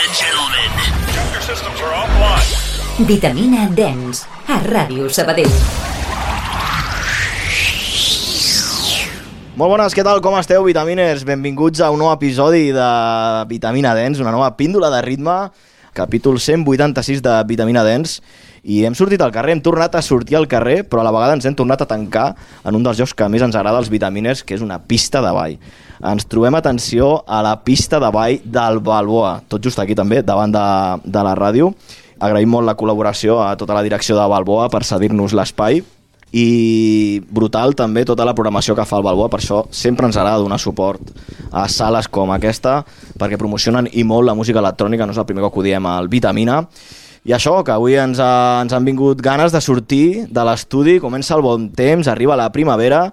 and gentlemen. Your systems are offline. Vitamina Dance, a Ràdio Sabadell. Molt bones, què tal? Com esteu, vitaminers? Benvinguts a un nou episodi de Vitamina Dance, una nova píndola de ritme, capítol 186 de Vitamina Dance. I hem sortit al carrer, hem tornat a sortir al carrer, però a la vegada ens hem tornat a tancar en un dels llocs que més ens agrada als vitaminers, que és una pista de ball. Ens trobem, atenció, a la pista de ball del Balboa, tot just aquí també, davant de la ràdio. Agraïm molt la col·laboració a tota la direcció de Balboa per cedir-nos l'espai, i brutal també tota la programació que fa el Balboa. Per això sempre ens agrada donar suport a sales com aquesta, perquè promocionen i molt la música electrònica, no és el primer cop que ho diem al Vitamina. I això, que avui ens han vingut ganes de sortir de l'estudi, comença el bon temps, arriba la primavera,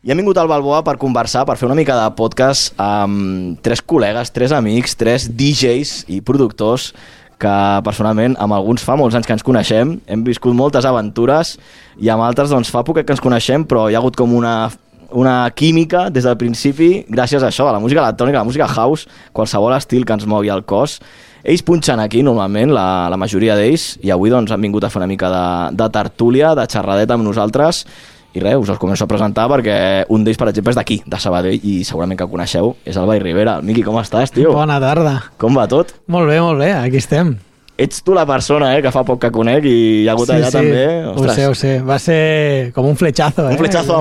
i hem vingut al Balboa per conversar, per fer una mica de podcast amb tres col·legues, tres amics, tres DJs i productors que personalment amb alguns fa molts anys que ens coneixem, hem viscut moltes aventures, i amb altres doncs fa poc que ens coneixem, però hi ha hagut com una química des del principi gràcies a això, a la música electrònica, a la música house, qualsevol estil que ens mogui el cos. Ells punxen aquí normalment, la majoria d'ells, i avui doncs han vingut a fer una mica de tertúlia, de xerradeta amb nosaltres, i res, us els començo a presentar perquè un d'ells, per exemple, és d'aquí, de Sabadell, i segurament que el coneixeu, és el Blai Rivera. Miqui, com estàs, tio? Bona tarda. Com va tot? Molt bé, aquí estem. Ets tu la persona que fa poc que conec i hi ha hagut allà també. Ostres. Ho sé. Va ser com un fletxazo. Un fletxazo.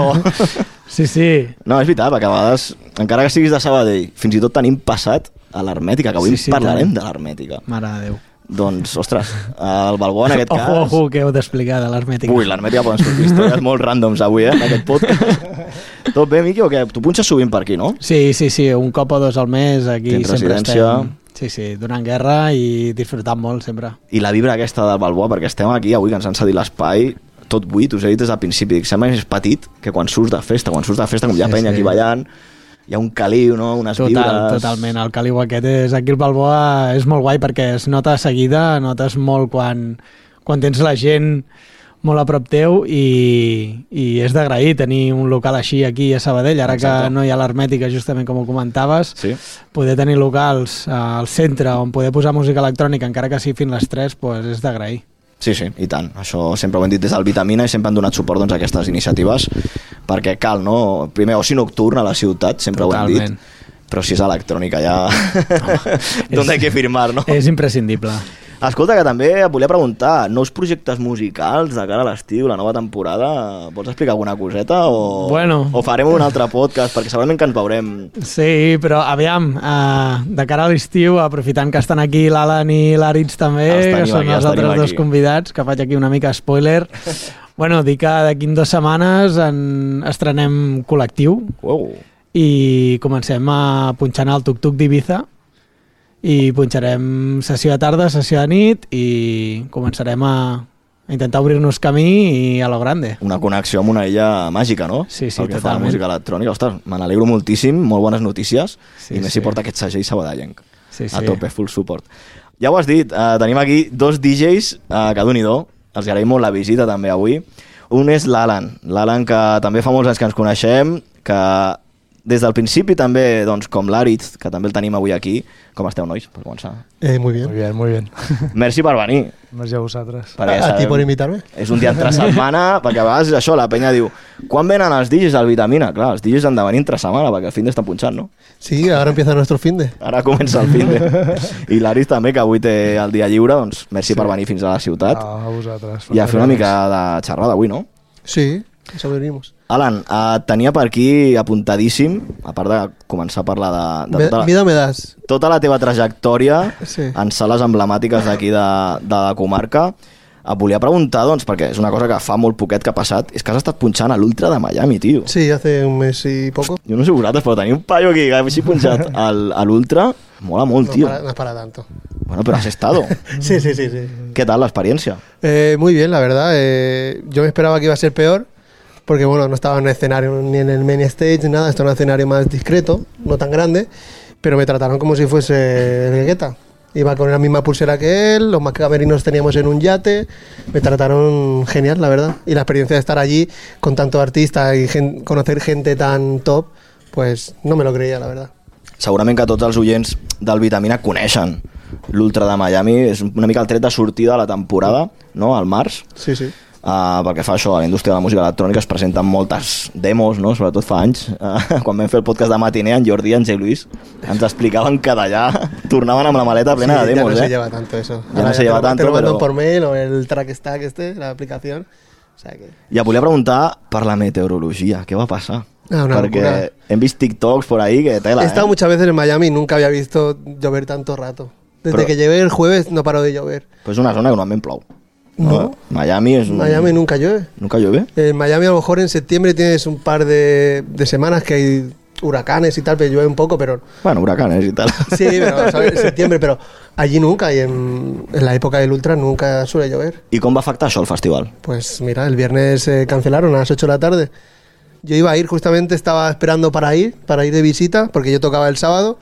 Sí. No, és veritat, perquè a vegades, encara que siguis de Sabadell, fins i tot tenim passat a l'Hermètica, que avui parlarem de l'Hermètica. Mare de Déu. Doncs, ostres, el Balboa en aquest cas... Ojo, que heu d'explicar de l'Hermètica. Ui, l'Hermètica poden sortir històries molt ràndoms avui, en aquest podcast. Tot bé, Miqui, o què? Tu punxes sovint per aquí, no? Sí, un cop o dos al mes, aquí tens sempre residència. estem. Sí, donant guerra i disfrutant molt, sempre. I la vibra aquesta del Balboa, perquè estem aquí avui, que ens han cedit l'espai, tot buit, us he dit des del principi, que sembla més petit que quan surts de festa, com hi ha penya aquí ballant, hi ha un caliu, no? Unes vibres... Totalment, el caliu aquest és... Aquí el Balboa és molt guai perquè es nota de seguida, notes molt quan tens la gent molt a prop teu i és d'agrair tenir un local així aquí a Sabadell, ara que no hi ha l'Hermètica, justament com ho comentaves, poder tenir locals al centre on poder posar música electrònica, encara que sigui fins les 3, doncs és d'agrair. Sí, i tant. Això sempre ho hem dit des del Vitamina i sempre han donat suport a aquestes iniciatives perquè cal, no? Primer, oci nocturn a la ciutat, sempre Totalment. Ho hem dit, però si és electrònica ja... D'on hay que firmar, no? És imprescindible. Escolta, que també et volia preguntar, nous projectes musicals de cara a l'estiu, la nova temporada, vols explicar alguna coseta o farem un altre podcast, perquè segurament que ens veurem. Sí, però aviam, de cara a l'estiu, aprofitant que estan aquí l'Alan i l'Aritz també, que són els altres dos convidats, que faig aquí una mica spoiler. Dic que d'aquí 2 setmanes estrenem col·lectiu i comencem a punxar el Tuk-Tuk d'Ibiza, i punxarem sessió de tarda, sessió de nit i començarem a intentar obrir-nos camí i a lo grande. Una connexió amb una illa màgica, no? Sí, el que totalment. fa la música electrònica. Ostres, me n'alegro moltíssim, molt bones notícies, i més si porta aquest segell sabadellenc. A tope, full support. Ja ho has dit, tenim aquí dos DJs que d'un-i-do, els agraïm molt la visita també avui. Un és l'Alan, que també fa molts anys que ens coneixem, que des del principi també, doncs, com l'Aritz, que també el tenim avui aquí. Com esteu, nois, per començar? Muy bien. Merci per venir. Merci a vosaltres. A ti por invitar-me. És un dia entre setmana, perquè a vegades és això, la penya diu, quan venen els DJs al Vitamina? Clar, els DJs han de venir entre setmana, perquè el finde estan punxant, no? Sí, ara empieza nuestro finde. Ara comença el finde. I l'Aritz també, que avui té el dia lliure, doncs merci per venir fins a la ciutat. A vosaltres. I a fer una mica de xerrada avui, no? Sí, eso venimos. Alan, tenia per aquí apuntadíssim, a part de començar a parlar de tota la teva trajectòria en sales emblemàtiques d'aquí de la comarca. Et volia preguntar, doncs, perquè és una cosa que fa molt poquet que ha passat, és que has estat punxant a l'Ultra de Miami, tio. Sí, hace un mes y poco. Jo no sé vosaltres, però tenir un paio aquí que hagi punxat a l'Ultra mola molt, tío. No es para tanto. Bueno, pero has estado. Sí. ¿Qué tal la experiencia? Muy bien, la verdad. Yo me esperaba que iba a ser peor, porque bueno, no estaba en el escenario ni en el main stage ni nada, estaba en un escenario más discreto, no tan grande, pero me trataron como si fuese el Guetta. Iba con la misma pulsera que él, los más camerinos teníamos en un yate, me trataron genial, la verdad. Y la experiencia de estar allí con tantos artistas y conocer gente tan top, pues no me lo creía, la verdad. Segurament que tots els oients del Vitamina coneixen l'Ultra de Miami és una mica el tret de sortida de la temporada, no?, al març. Sí, sí. Pel que fa això, a la indústria de la música electrònica es presenten moltes demos, no?, sobretot fa anys. Quan vam fer el podcast de Matiné, en Jordi i en Jay Luis ens explicaven que d'allà tornaven amb la maleta plena de demos. Ya no se lleva tanto eso. Ya no se lleva tanto, te lo mandan pero... por mail o el track stack la aplicación. O sea que... I et volia preguntar per la meteorologia, què va passar? Una Perquè locura. hem vist TikToks por ahí que tela, He estado muchas veces en Miami y nunca había visto llover tanto rato. Desde Pero- que llegué el jueves no paró de llover. Pues és una zona que normalment plou. No. Miami és un... Miami nunca llueve. Nunca llueve? En Miami a lo mejor en septiembre tienes un par de semanas que hay huracanes y tal, pero llueve un poco, pero... Bueno, huracanes y tal. Sí, pero ¿sabes? En septiembre, pero allí nunca y en la época del Ultra nunca suele llover. I com va afectar això el festival? Pues mira, el viernes cancelaron a las 8 de la tarde. Yo iba a ir, justamente estaba esperando para ir de visita, porque yo tocaba el sábado.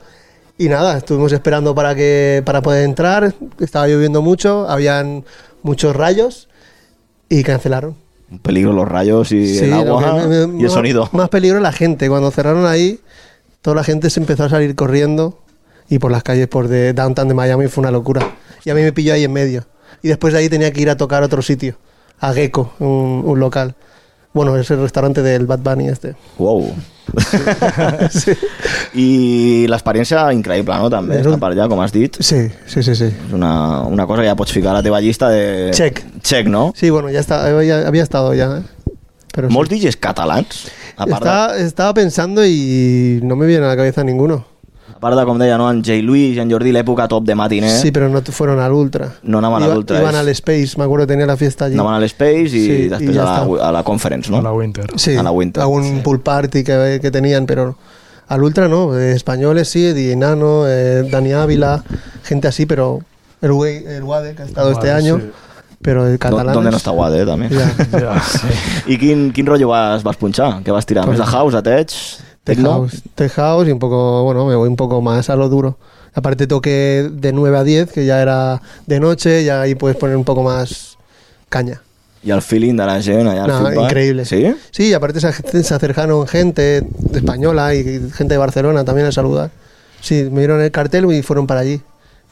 Y nada, estuvimos esperando para poder entrar. Estaba lloviendo mucho, habían muchos rayos y cancelaron. Un peligro los rayos y el agua y el sonido. Más peligro la gente. Cuando cerraron ahí, toda la gente se empezó a salir corriendo y por las calles de downtown de Miami fue una locura. Y a mí me pilló ahí en medio. Y después de ahí tenía que ir a tocar a otro sitio, a Gecko, un local. Bueno, es el restaurante del Bad Bunny este. Wow. Sí. I l'experiència increïble, no? També, estar per allà, com has dit. Sí. És una cosa que ja pots ficar a la teva llista de... Check, no? Sí, bueno, ya había estado ya. Pero Molts sí. DJs catalans, a part de... Estaba pensando y no me viene a la cabeza ninguno. A part de, com deia, no? En Jay Luis i en Jordi, l'època top de Matiné. Sí, pero no fueron al Ultra. No anaven a l'Ultra. Iban al Space, me acuerdo que tenía la fiesta allí. Anaven a l'Space i Sí, després i ja a la Conference, no? A la Winter. Sí, a la Winter. a un pool party que tenían, pero al Ultra no. Españoles sí, DJ Nano, Dani Ávila, gente así, pero el Wade, que ha estado este año, sí. pero el catalán... ¿Dónde no està Guade, també? Ja. Ja, sí. I quin rotllo vas punxar? Què vas tirar? Pues- Més de house, de tech? Tech house y un poco, bueno, me voy un poco más a lo duro. Aparte toqué de 9 a 10, que ya era de noche, y ahí puedes poner un poco más caña. I el feeling de la gent allà al No, feedback? increíble. Sí? Sí, aparte se acercaron gente española y gente de Barcelona también a saludar. Sí, me dieron el cartel y fueron para allí.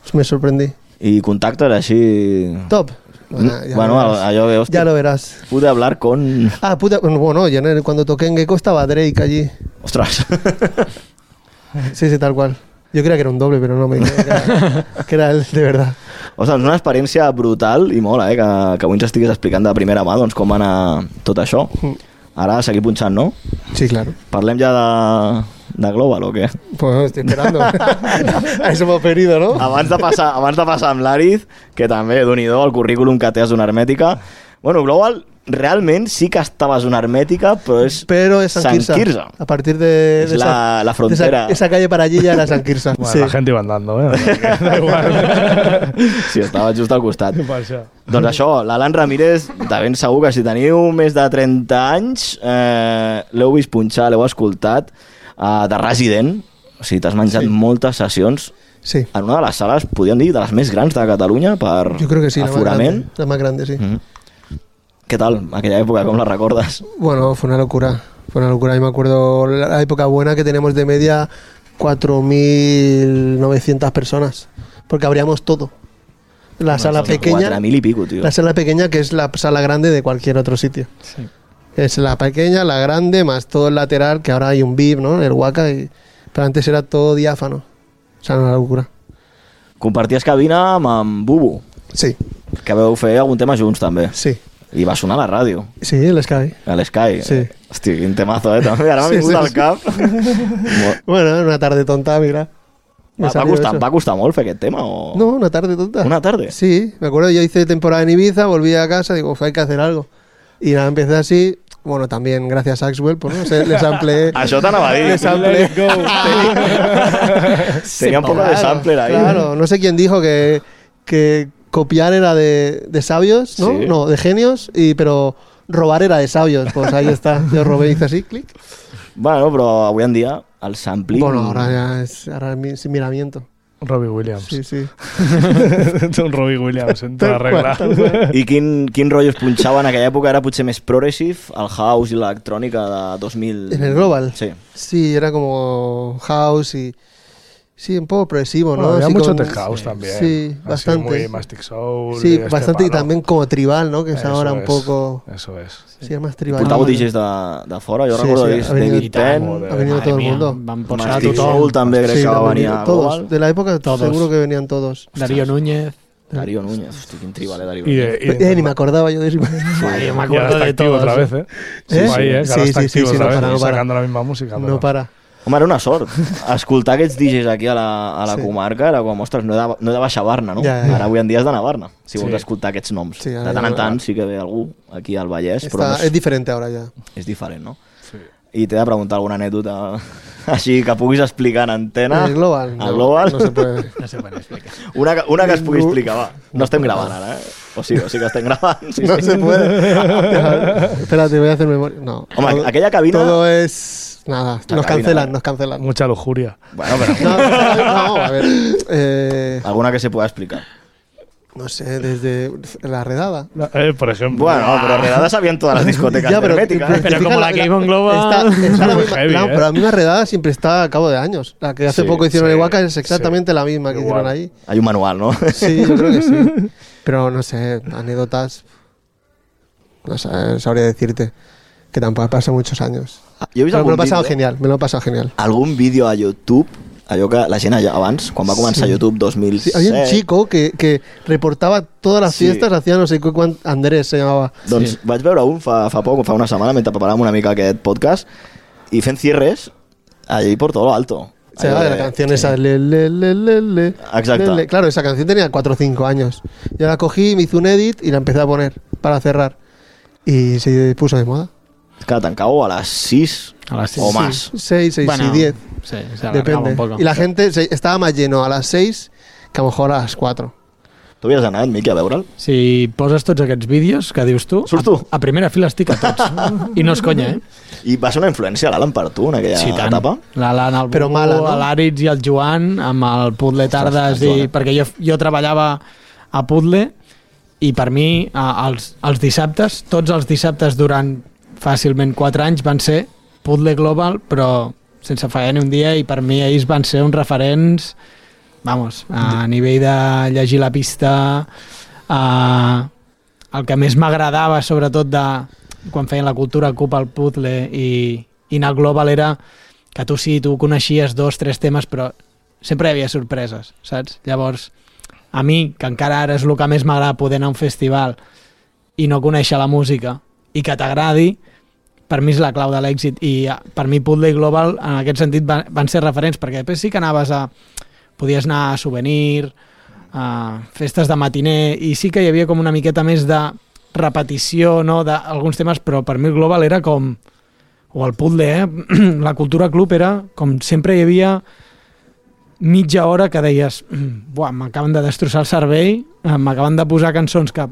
Pues me sorprendí. I contacte era així... Top. Ya Bueno, lo verás. allò que, hòstia, Ya lo verás. pude hablar con... Ah, puta, bueno, yo cuando toqué en Gecko estaba Drake allí. Ostres. Sí, tal cual. Yo creía que era un doble, pero no me creía que era él de verdad. Ostres, és una experiència brutal i mola, que avui ens estiguis explicant de primera mà doncs, com va anar tot això. Ara seguir punxant, no? Sí, claro. Parlem ja de Global o què? Pues estoy esperando. A eso hemos venido, ¿no? Abans de passar amb l'Ariz, que també, Déu-n'hi-do, el currículum que té a Zona Hermètica. Bueno, Global realment sí que estava a Zona Hermètica, pero es San Quirze. A partir de Es la frontera. Esa calle para allí ya era San Quirze. Bueno, Sí. la gent iba andando, Da igual. Sí, estava just al costat. Per això. Doncs això, l'Alan Ramírez, de ben segur que si teniu més de 30 anys, l'heu vist punxar, l'heu escoltat, de Resident, o sigui, t'has menjat moltes sessions Sí. en una de les sales, podríem dir, de les més grans de Catalunya per Yo creo que sí, aforament. la más grande, sí. Què tal, aquella època, com la recordes? Bueno, fue una locura. Fue una locura. Yo me acuerdo la época buena que teníamos de media 4.900 personas. Porque abríamos todo. La sala pequeña. 4.000 y pico, tío. La sala pequeña, que es la sala grande de cualquier otro sitio. Sí. Es la pequeña, la grande, más todo el lateral, que ahora hay un VIP, ¿no? El Waka. Pero antes era todo diáfano. O sea, una locura. Comparties cabina amb Bubu, Sí, que veu fer algun tema junts també. sí. I va sonar a la ràdio, Sí, el Sky. a l'Sky. Sí. Hosti, quin temazo, també. Ara m'ha Sí, vingut sí, al sí. cap. Bueno, era una tarde tonta, mira. Me salió eso. Va costar molt fer aquest tema? O... No, una tarde tonta. Una tarde. Sí, me acuerdo, yo hice temporada en Ibiza, volví a casa, digo, hay que hacer algo. Y nada, empecé así, bueno, también gracias a Axwell, pues no sé, les amplié. Això t'anava a dir. Les amplié. Tenía un poco de sampler ahí. Claro, no sé quién dijo que copiar era de sabios, ¿no? Sí. No, de genios, pero robar era de sabios. Pues ahí está, yo robé y hice así, clic. Bueno, però avui en dia el sampling... Bueno, ahora ya es sin miramiento. Robbie Williams. Sí, sí. Un Robbie Williams en tota Tal qual, regla. tal qual. I quin rotllo es punxava en aquella època? Era potser més progressive, el house i l'electrònica de 2000... ¿En el Global? Sí. Sí, era como house y Sí, un poco progresivo, ¿no? Bueno, había Así mucho con- tech house también. Sí, Así bastante. muy Mastic Soul. Sí, de bastante, y palo. también como tribal, ¿no? Que es Eso ahora un es, poco... Eso es. Sí, es más tribal. Portàveu DJs de fora, jo Sí, recordo sí, haver vist ha venido- David Penn, Joder. Ha venido Madre todo el mía, mundo. van posar a Mastic tothom. Soul també crec Sí, que va han venir venido a todos. Global. De la época Todos. seguro que venían todos. Darío Núñez. Darío Núñez, hosti, quin tribal, Darío Y Núñez. de, Ni me acordaba yo de eso. Ay, yo me y ahora acuerdo está de activo todos. otra vez, ¿eh? Sí, Ahí, sí. que ahora Sí, está sí, activo sí, otra no vez, para, no para. sacando la misma música. No pero- para. Home, era una sort. Escoltar aquests DJs aquí a la Sí. comarca era com, ostres, no he de baixar a Barna, no? Ja, ja. Ara avui en dia has d'anar a Barna, si Sí. vols escoltar aquests noms. Sí, de ara tant en ja- tant sí que ve algú aquí al Vallès, però no Es diferente ahora ya. és diferent, no? Sí. I t'he de preguntar alguna anècdota així que puguis explicar en antena. El Global. Al no, Global. No se puede. No se puede explicar. Una que es pugui explicar, va. No estem gravant ara, O sí que estem gravant. Sí, No sí. se puede. Espérate, voy a hacer memoria. No. Home, Todo- aquella cabina... Todo es. Nada, La nos cabina, cancelan, ¿eh? nos cancelan. Mucha lujuria. Bueno, però No, a ver. alguna que se pueda explicar. No sé, desde la redada. Por ejemplo. Bueno, pero redada sabían todas las discotecas herméticas. pero fijas, como la Game on Global- está la Muy misma, heavy, pero la misma redada siempre está a cabo de años. La que hace Sí, poco hicieron sí, en Huaca es exactamente la misma que Igual. hicieron ahí. Hay un manual, ¿no? Sí, yo creo que sí. Pero no sé, anécdotas. No sé, sabría decirte. Que tampoco pasa muchos años. Jo he vist Pero me lo he algun pasado vídeo, genial, me lo he pasado genial. algun vídeo a YouTube, allò que la gent allà abans, quan va començar Sí. YouTube Sí, 2007, había un chico que reportaba todas las Sí. fiestas, hacía no sé qué cuánto, Andrés se llamaba. doncs vaig veure un fa poc, fa una setmana, mentre preparàvem una mica aquest podcast, i fent cierres allí por todo lo alto. O sea, Allò la canción esa. Le. Exacto. Le. Claro, esa canción tenía 4 o 5 años. Yo la cogí, me hice un edit y la empecé a poner para cerrar. Y se puso de moda. que tancau a les 6 A las o 6. más. 6 Bueno, y 10. Sí, se alargaba Depende. un poco. Y la gente estaba más lleno a las 6 que a lo mejor a las 4. Tu havies anat, Miqui, a veure'l? Si poses tots aquests vídeos que dius tu, Surts tu? a primera fila estic a tots. I no és conya, eh? I va ser una influència l'Alan per tu en aquella etapa? L'Alan, el Però Bubu, mala, no? l'Àritz i el Joan, amb el Puzzle Tardes, Joan. perquè jo treballava a Puzzle i per mi els dissabtes, tots els dissabtes durant fàcilment 4 anys van ser Puzzle Global, però sense fallar ni un dia, i per mi ells van ser uns referents, vamos, a nivell de llegir la pista, el que més m'agradava sobretot de quan feien la cultura Cup al Puzzle i anar al Global era que tu sí, tu coneixies 2 o 3 temes, però sempre hi havia sorpreses, saps? Llavors, a mi, que encara ara és el que més m'agrada poder anar a un festival i no conèixer la música i que t'agradi, per mi és la clau de l'èxit, i per mi Puzzle i Global en aquest sentit van ser referents, perquè després sí que podies anar a Souvenir, a festes de matiner, i sí que hi havia com una miqueta més de repetició, no?, d'alguns temes, però per mi el Global era com, o el Puzzle, la cultura club era com sempre hi havia mitja hora que deies, buah, m'acaben de destrossar el cervell, m'acaben de posar cançons que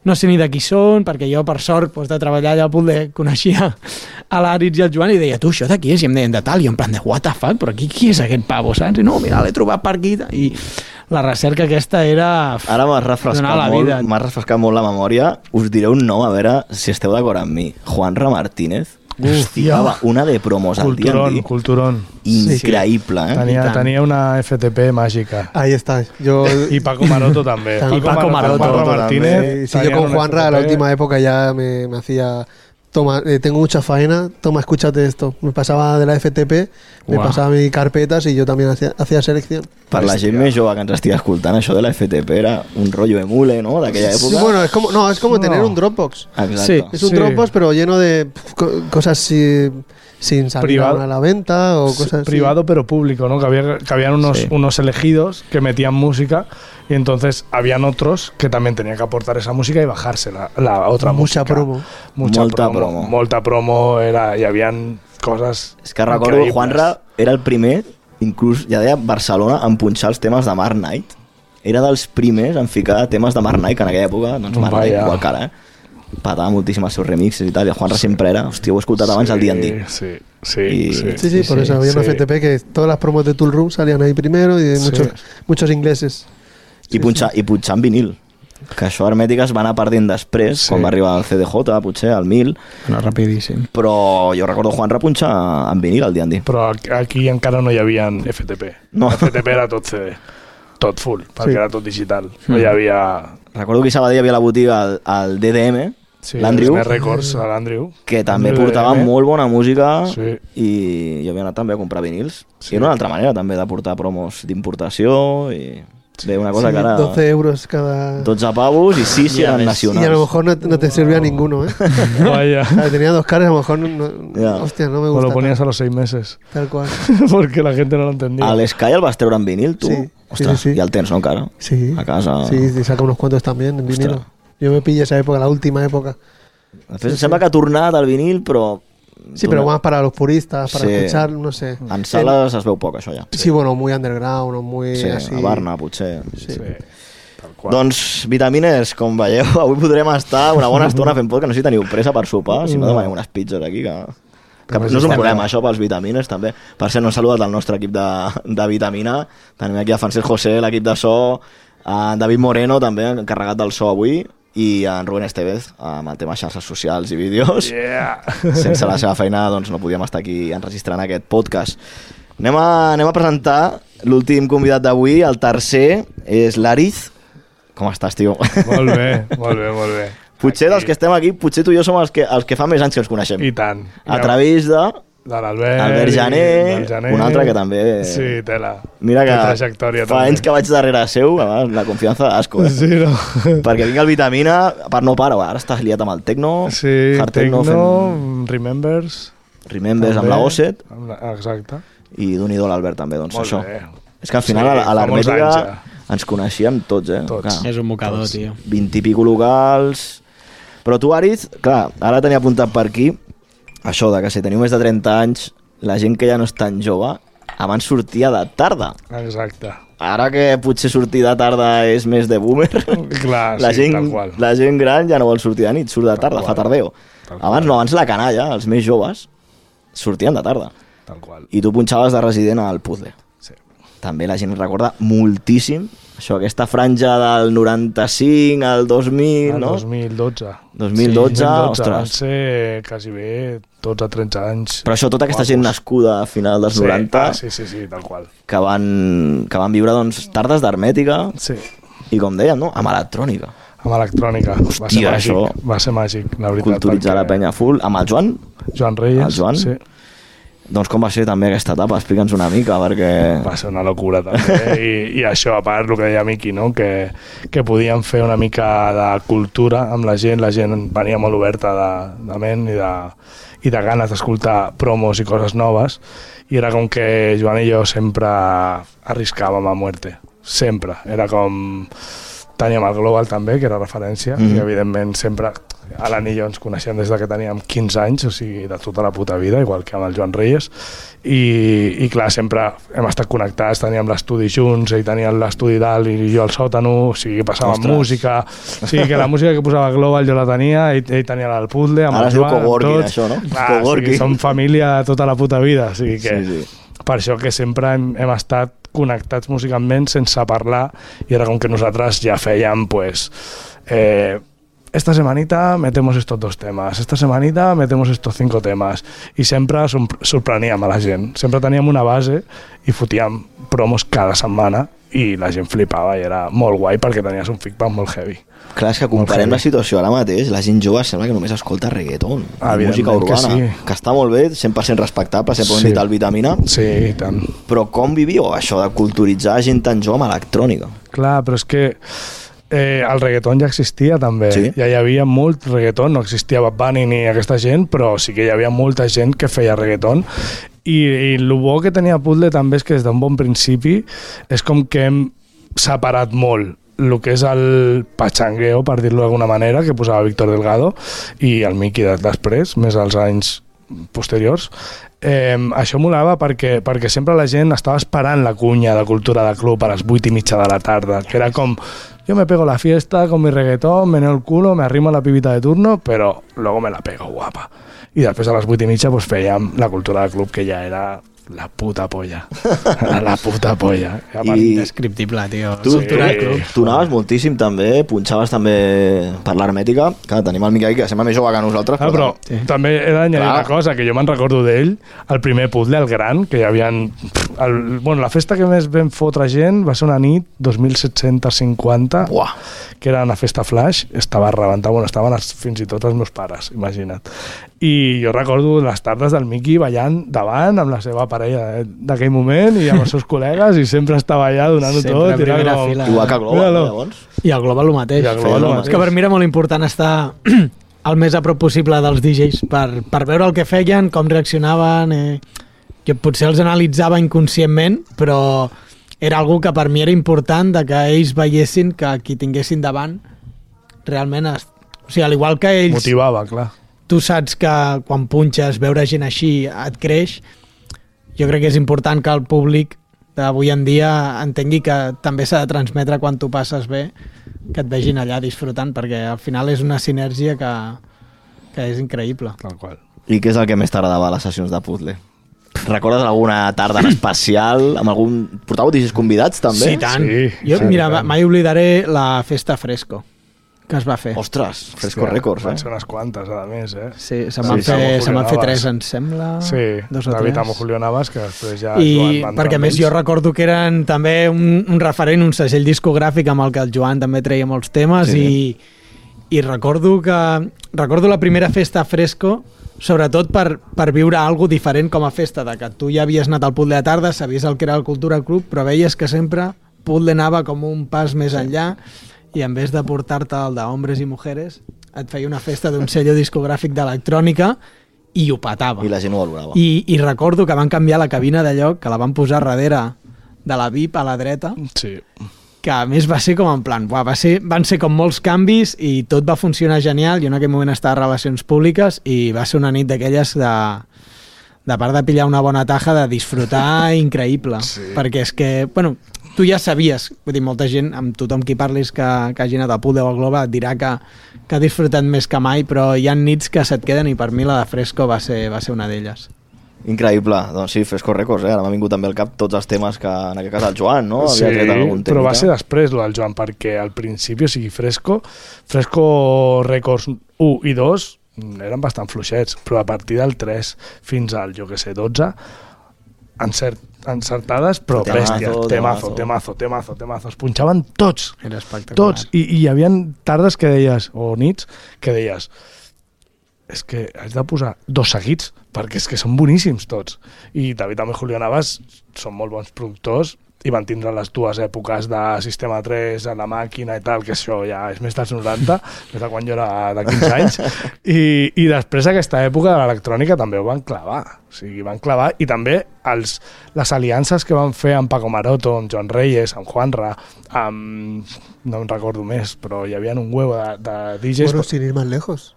no sé ni de qui són, perquè jo, per sort, doncs, de treballar allà al Puzzle, coneixia a l'Àritz i el Joan i deia, tu, això de qui és? I em deien de tal, i en plan de, what the fuck, però qui és aquest pavo, saps? I no, mira, l'he trobat per aquí, i la recerca aquesta era... Ara m'has refrescat molt la memòria. Us diré un nom, a veure si esteu d'acord amb mi. Juanra Martínez. Hòstia, una de promos al D&D. Culturón. Increïble, eh? Tenia una FTP mágica. Ahí está. Yo, Y Paco Maroto también. Y Paco Maroto Juanra también. Martínez. sí, yo con Juanra, la última época ya me hacía... Toma, tengo mucha faena, toma, escúchate esto. Me pasaba de la FTP, me pasaba mis carpetas y yo también hacía selección. Per la gent més jove que ens estigui escoltant, això de la FTP era un rotllo emule, ¿no?, d'aquella època. Sí, bueno, es como tener un Dropbox. Exacto. Sí. Es un Sí. Dropbox, pero lleno de cosas sin salir Privado. a la venta o cosas así. Privado pero público, ¿no? Que habían unos elegidos que metían música y entonces habían otros que también tenían que aportar esa música y bajarse la otra Mucha música. promo. Molta promo y habían cosas És que recordo, increïbles. Juanra era el primer, inclús ja deia Barcelona, en punxar els temes de Mark Knight. Era dels primers en ficar temes de Mark Knight, que en aquella època, doncs Mark Knight, igual que ara, patava moltíssim els seus remixes i tal, i el Juanra sempre era, hòstia, ho he escoltat abans al D&D. Sí, Y- Sí, por eso había una FTP que todas las promos de Tool Room salían ahí primero y de muchos ingleses. I punxar en vinil. Que això Hermètica es va anar perdent després, quan va arribar el CDJ, potser, al 1000. No, rapidíssim. Però jo recordo Juanra punxar en vinil el D&D. Però aquí encara no hi havia FTP. No. FTP era tot CD. Tot full, perquè era tot digital. No hi havia... Recordo que a Sabadell hi havia la botiga el DDM, l'Andrew, Records, l'Andrew, que també portava molt bona música i jo havia anat també a comprar vinils. I una altra manera també de portar promos d'importació i... Bé, una cosa que ara... 12 euros cada... 12 pavos y 6 si eran nacionales. Y a lo mejor no te servía ninguno, ¿eh? Vaya. Tenía 2 caras, a lo mejor hostia, no me gusta. O lo ponías a los 6 meses. Tal cual. Porque la gente no lo entendía. Al Sky el vas treure en vinil, tu? Sí. Ostres, sí. Ja el tens, no, encara? Sí. A casa. Sí, y saca unos cuantos también en vinilo. Yo me pillé esa época, la última época. Després sembla que ha tornat al vinil, però... Sí, pero más para los puristas, para escuchar, no sé. En sales es veu poc, això ja. Sí, bueno, muy underground o muy así. A Barna, potser. Sí. Tal qual. Doncs, vitamines, com veieu, avui podrem estar una bona estona fent podcast. No sé si teniu pressa per sopar, si no demanem unes pizzas aquí, que no és un problema, això, pels vitamines, també. Per cert, no he saludat el nostre equip de vitamina. Tenim aquí a Francesc José, l'equip de so, a David Moreno, també, encarregat del so avui, i en Rubén Estevez amb el tema xarxes socials i vídeos. Sense la seva feina doncs no podíem estar aquí enregistrant aquest podcast. Anem a presentar l'últim convidat d'avui, el tercer és l'Ariz. Com estàs, tio? Molt bé, molt bé, molt bé. Potser dels que estem aquí, potser tu i jo som els que fa més anys que ens coneixem. I tant. A través de l'Albert Jané, un altre que també... Sí, tela. Mira que fa anys que vaig darrere seu, la confiança d'asco. Sí, no? Perquè vinc al Vitamina, per no parar, ara estàs liat amb el Tecno. Sí, Tecno, Remembers amb la Osset. Exacte. I d'un-i-do l'Albert també, doncs molt això. Bé. És que al final a l'Hermètica ens coneixíem tots, Tots. És un mocador, tio. 20 i pico locals... Però tu, Ariz, clar, ara tenia apuntat per aquí això de que si teniu més de 30 anys, la gent que ja no és tan jove, abans sortia de tarda. Exacte. Ara que potser sortir de tarda és més de boomer, clar, tal qual. La gent gran ja no vol sortir de nit, surt de tarda, fa tardeo. Abans la canalla, els més joves, sortien de tarda. Tal qual. I tu punxaves de resident al puzzle. Sí. També la gent recorda moltíssim això, aquesta franja del 95 al 2000, no? 2012. 2012, ostres. Van ser quasi bé 12-13 anys. Però això, tota aquesta gent nascuda a final dels 90... Sí, tal qual. Que van viure, doncs, tardes d'Hermètica. Sí. I com deien, no? Amb electrònica. Amb electrònica. Hòstia, va ser màgic, la veritat. Culturitzar la penya full. Amb el Joan? Joan Reyes, el Joan? sí. Doncs com va ser també aquesta etapa? Explica'ns una mica, perquè... Va ser una locura també, i això, a part, el que deia Miqui, no? que podíem fer una mica de cultura amb la gent venia molt oberta de ment i de ganes d'escoltar promos i coses noves, i era com que Joan i jo sempre arriscàvem a muerte, sempre, era com... Teníem el Global també, que era referència, i evidentment sempre Alan i jo ens coneixem des que teníem 15 anys, o sigui, de tota la puta vida, igual que amb el Joan Reyes, i clar, sempre hem estat connectats, teníem l'estudi junts, ell tenia l'estudi dalt i jo al sòtano, o sigui, passàvem música, o sigui, que la música que posava Global jo la tenia, ell tenia el puzzle, amb el Joan, coworking, tots. Això, no? Clar, o sigui, som família tota la puta vida, o sigui que... Sí. Per això que sempre hem estat connectats musicalment sense parlar, i era com que nosaltres ja fèiem, pues, esta semanita metemos estos 2 temas, esta semanita metemos estos 5 temas, i sempre sorpreníem a la gent, sempre teníem una base i fotíem promos cada setmana i la gent flipava i era molt guai perquè tenies un feedback molt heavy. Clar, és que comparem la situació ara mateix, la gent jove sembla que només escolta reggaeton, música urbana, que està molt bé, 100% respectable, sempre ho hem dit al Vitamina. Sí, i tant. Però com vivíeu això de culturitzar gent tan jove amb electrònica? Clar, però és que el reggaeton ja existia també, ja hi havia molt reggaeton, no existia Bad Bunny ni aquesta gent, però sí que hi havia molta gent que feia reggaeton, i el bo que tenia Puzzle també és que des d'un bon principi és com que hem separat molt el que és el pachangueo, per dir-lo d'alguna manera, que posava Víctor Delgado i el Miqui després, més als anys posteriors. Això molava perquè sempre la gent estava esperant la cunya de cultura de club a les 8:30 de la tarda, que era com, yo me pego la fiesta con mi reggaetón, meneo el culo, me arrimo a la pibita de turno, pero luego me la pego guapa. I després a les 8:30 pues, fèiem la cultura del club, que ja era la puta polla. La puta polla. Indescriptible, tio. Tu anaves moltíssim també, punxaves també per l'hermètica, que tenim el Miquel, que sembla més jove que nosaltres. Però també he d'anyadir una cosa, que jo me'n recordo d'ell, el primer puzzle, el gran, que hi havia... la festa que més vam fotre gent va ser una nit 2750, que era una festa flash, estava rebentat, estaven fins i tot els meus pares, imagina't. I jo recordo les tardes del Miqui ballant davant amb la seva parella d'aquell moment i amb els seus col·legues, i sempre estava allà donant-ho tot. Sempre a primera fila. Igual que Global, llavors. I el Global el mateix. És que per mi era molt important estar el més a prop possible dels DJs per veure el que feien, com reaccionaven. Jo potser els analitzava inconscientment, però era algo que per mi era important, de que ells veiessin que qui tinguessin davant realment... O sigui, al igual que ells... Motivava, clar. Tu saps que quan punxes, veure gent així et creix. Jo crec que és important que el públic d'avui en dia entengui que també s'ha de transmetre quan tu passes bé, que et vegin allà disfrutant, perquè al final és una sinergia que és increïble. Tal qual. I què és el que més t'agradava a les sessions de puzzle? Recordes alguna tarda en especial? Amb algun... Portàveu DJs convidats, també? Sí, tant. Sí, jo, mira, mai oblidaré la festa Fresco que es va fer. Ostres, Fresco Records, Van ser unes quantes, a més, Sí, se'n van fer 3, em sembla. Sí, 2 o 3. David amb Julio Navas, que després ja... I perquè més jo recordo que eren també un referent, un segell discogràfic amb el que el Joan també treia molts temes, i recordo la primera festa Fresco, sobretot per viure alguna diferent com a festa, de que tu ja havies anat al Puzzle de tarda, sabies el que era el Cultura Club, però veies que sempre Puzzle anava com un pas més enllà, i en vez de portar-te el d'Hombres i Mujeres, et feia una festa d'un sello discogràfic d'electrònica i ho petava. I la gent ho valorava. I recordo que van canviar la cabina de lloc, que la van posar darrere de la VIP a la dreta, que a més va ser com en plan, van ser com molts canvis i tot va funcionar genial. Jo en aquell moment estava a Relacions Públiques i va ser una nit d'aquelles de part de pillar una bona taja, de disfrutar increïble. Perquè és que, tu ja sabies, vull dir, molta gent, amb tothom qui parlis que hagi anat a Puzzle o a Global et dirà que ha disfrutat més que mai, però hi ha nits que se't queden, i per mi la de Fresco va ser una d'elles. Increïble, doncs sí, Fresco Records, ara m'ha vingut també al cap tots els temes que en aquest cas el Joan, no? Sí, però va ser després el Joan, perquè al principi, o sigui, Fresco Records 1 i 2 eren bastant fluixets, però a partir del 3 fins al, 12, encertades, però bèsties, temazo. Es punxaven tots. Era espectacular. Tots. I hi havia tardes que deies, o nits, que deies, és que has de posar 2 seguits, perquè és que són boníssims tots. I David també Julio Navas són molt bons productors, i van tindre les 2 èpoques de Sistema 3 a la màquina i tal, que això ja és més dels 90, més de quan jo era de 15 anys, i després aquesta època de l'electrònica també ho van clavar. O sigui, van clavar, i també les aliances que van fer amb Paco Maroto, amb Joan Reyes, amb Juanra, no em recordo més, però hi havia un huevo de DJs... Bueno, sin ir más lejos.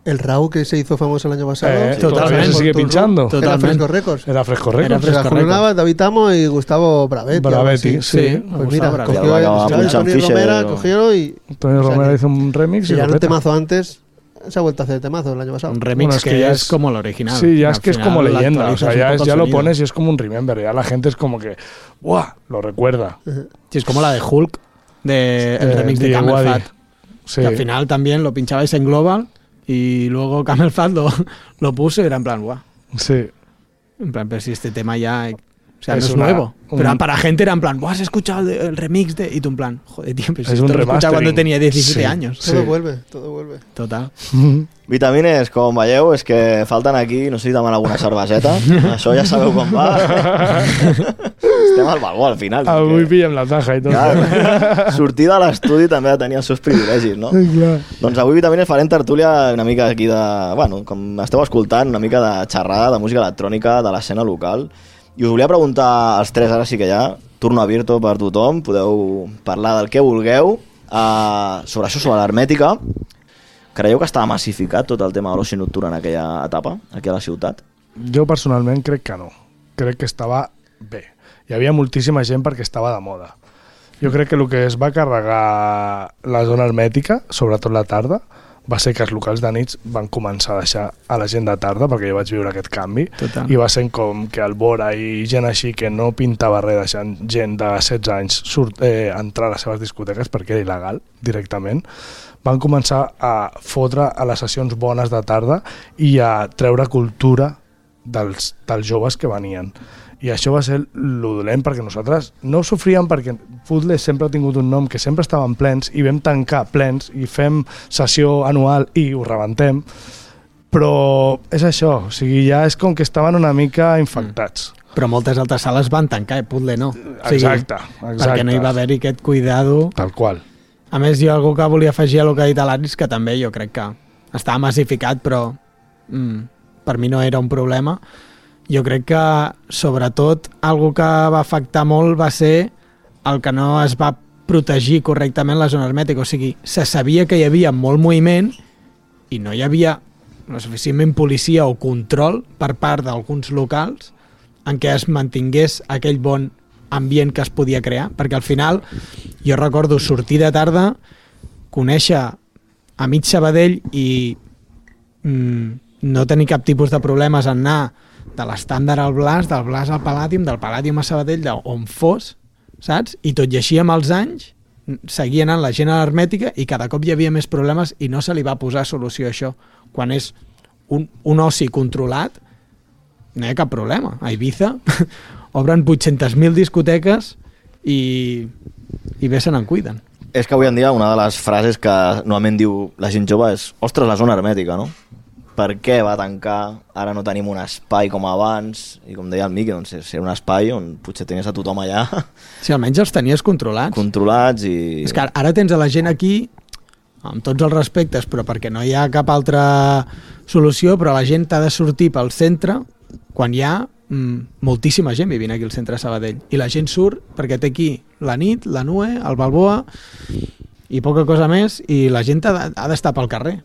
El Raúl que se hizo famoso el año pasado. Todavía se sigue pinchando. Era Fresco Records. Era Fresco Records. Era Julio Navas, David Amo y Gustavo Bravetti. Sí. Pues mira, cogió Tony Romera, cogió y... Tony Romera hizo un remix. Si ya era un temazo antes, se ha vuelto a hacer temazo el año pasado. Un remix que es como el original. Sí, ya es que es como leyenda. O sea, ya lo pones y es como un remember. Ya la gente es como que, ¡buah! Lo recuerda. Sí, es como la de Hulk, el remix de Camel Fat. Sí. Que al final también lo pinchabais en Global. Y luego Camel Fat lo puse y era en plan, guau. Sí. En plan, pero si este tema ya... O sea, no es nuevo. Pero para gente era en plan, ¿has escuchado el remix de...? Y tú en plan, joder, tío, pero si esto lo escuchaba cuando tenía 17 años. Todo vuelve. Total. Vitamines, com veieu, és que falten aquí, no sé si demanen alguna cerveseta. Això ja sabeu com va. Estem al baló al final. Avui pillem la taja i tot. Clar, sortir de l'estudi també ha de tenir els seus privilegis, no? Clar. Doncs avui Vitamines farem tertúlia una mica aquí de... Bueno, com esteu escoltant, una mica de xerrada de música electrònica de l'escena local. I us volia preguntar als 3, ara sí que ja, turno abierto per tothom, podeu parlar del que vulgueu, sobre això, sobre l'hermètica. Creieu que estava massificat tot el tema de l'oci nocturn en aquella etapa, aquí a la ciutat? Jo personalment crec que no. Crec que estava bé. Hi havia moltíssima gent perquè estava de moda. Jo crec que el que es va carregar la zona hermètica, sobretot la tarda, va ser que els locals de nits van començar a deixar a la gent de tarda, perquè jo vaig viure aquest canvi. Total. I va ser com que el Bora i gent així que no pintava res, deixant gent de 16 anys entrar a les seves discoteques perquè era il·legal directament, van començar a fotre a les sessions bones de tarda i a treure cultura dels joves que venien. I això va ser lo dolent, perquè nosaltres no ho sofríem, perquè Footles sempre ha tingut un nom que sempre estaven plens i vam tancar plens i fem sessió anual i ho rebentem, però és això, o sigui, ja és com que estaven una mica infectats. Però moltes altres sales van tancar, Puzzle no. O sigui, exacte. Perquè no hi va haver-hi aquest cuidado. Tal qual. A més, jo algú que volia afegir a lo que ha dit l'Aris, que també jo crec que estava massificat, però per mi no era un problema. Jo crec que, sobretot, algo que va afectar molt va ser el que no es va protegir correctament la zona hermètica. O sigui, se sabia que hi havia molt moviment i no hi havia no suficientment policia o control per part d'alguns locals en què es mantingués aquell bon ambient que es podia crear. Perquè al final, jo recordo sortir de tarda, conèixer a mig Sabadell i no tenir cap tipus de problemes en anar de l'estàndard al Blas, del Blas al Palladium, del Palladium a Sabadell, on fos, saps? I tot i així amb els anys seguia anant la gent a l'hermètica i cada cop hi havia més problemes i no se li va posar solució a això. Quan és un oci controlat, no hi ha cap problema. A Ibiza obren 800.000 discoteques i bé se n'en cuiden. És que avui en dia una de les frases que normalment diu la gent jove és ostres, la zona hermètica, no? Per què va tancar? Ara no tenim un espai com abans. I com deia el Miqui, doncs era un espai on potser tenies a tothom allà. Sí, almenys els tenies controlats. Controlats i... És que ara tens a la gent aquí, amb tots els respectes, però perquè no hi ha cap altra solució, però la gent ha de sortir pel centre quan hi ha moltíssima gent vivint aquí al centre de Sabadell. I la gent surt perquè té aquí la nit, la Nue, el Balboa i poca cosa més, i la gent ha d'estar pel carrer.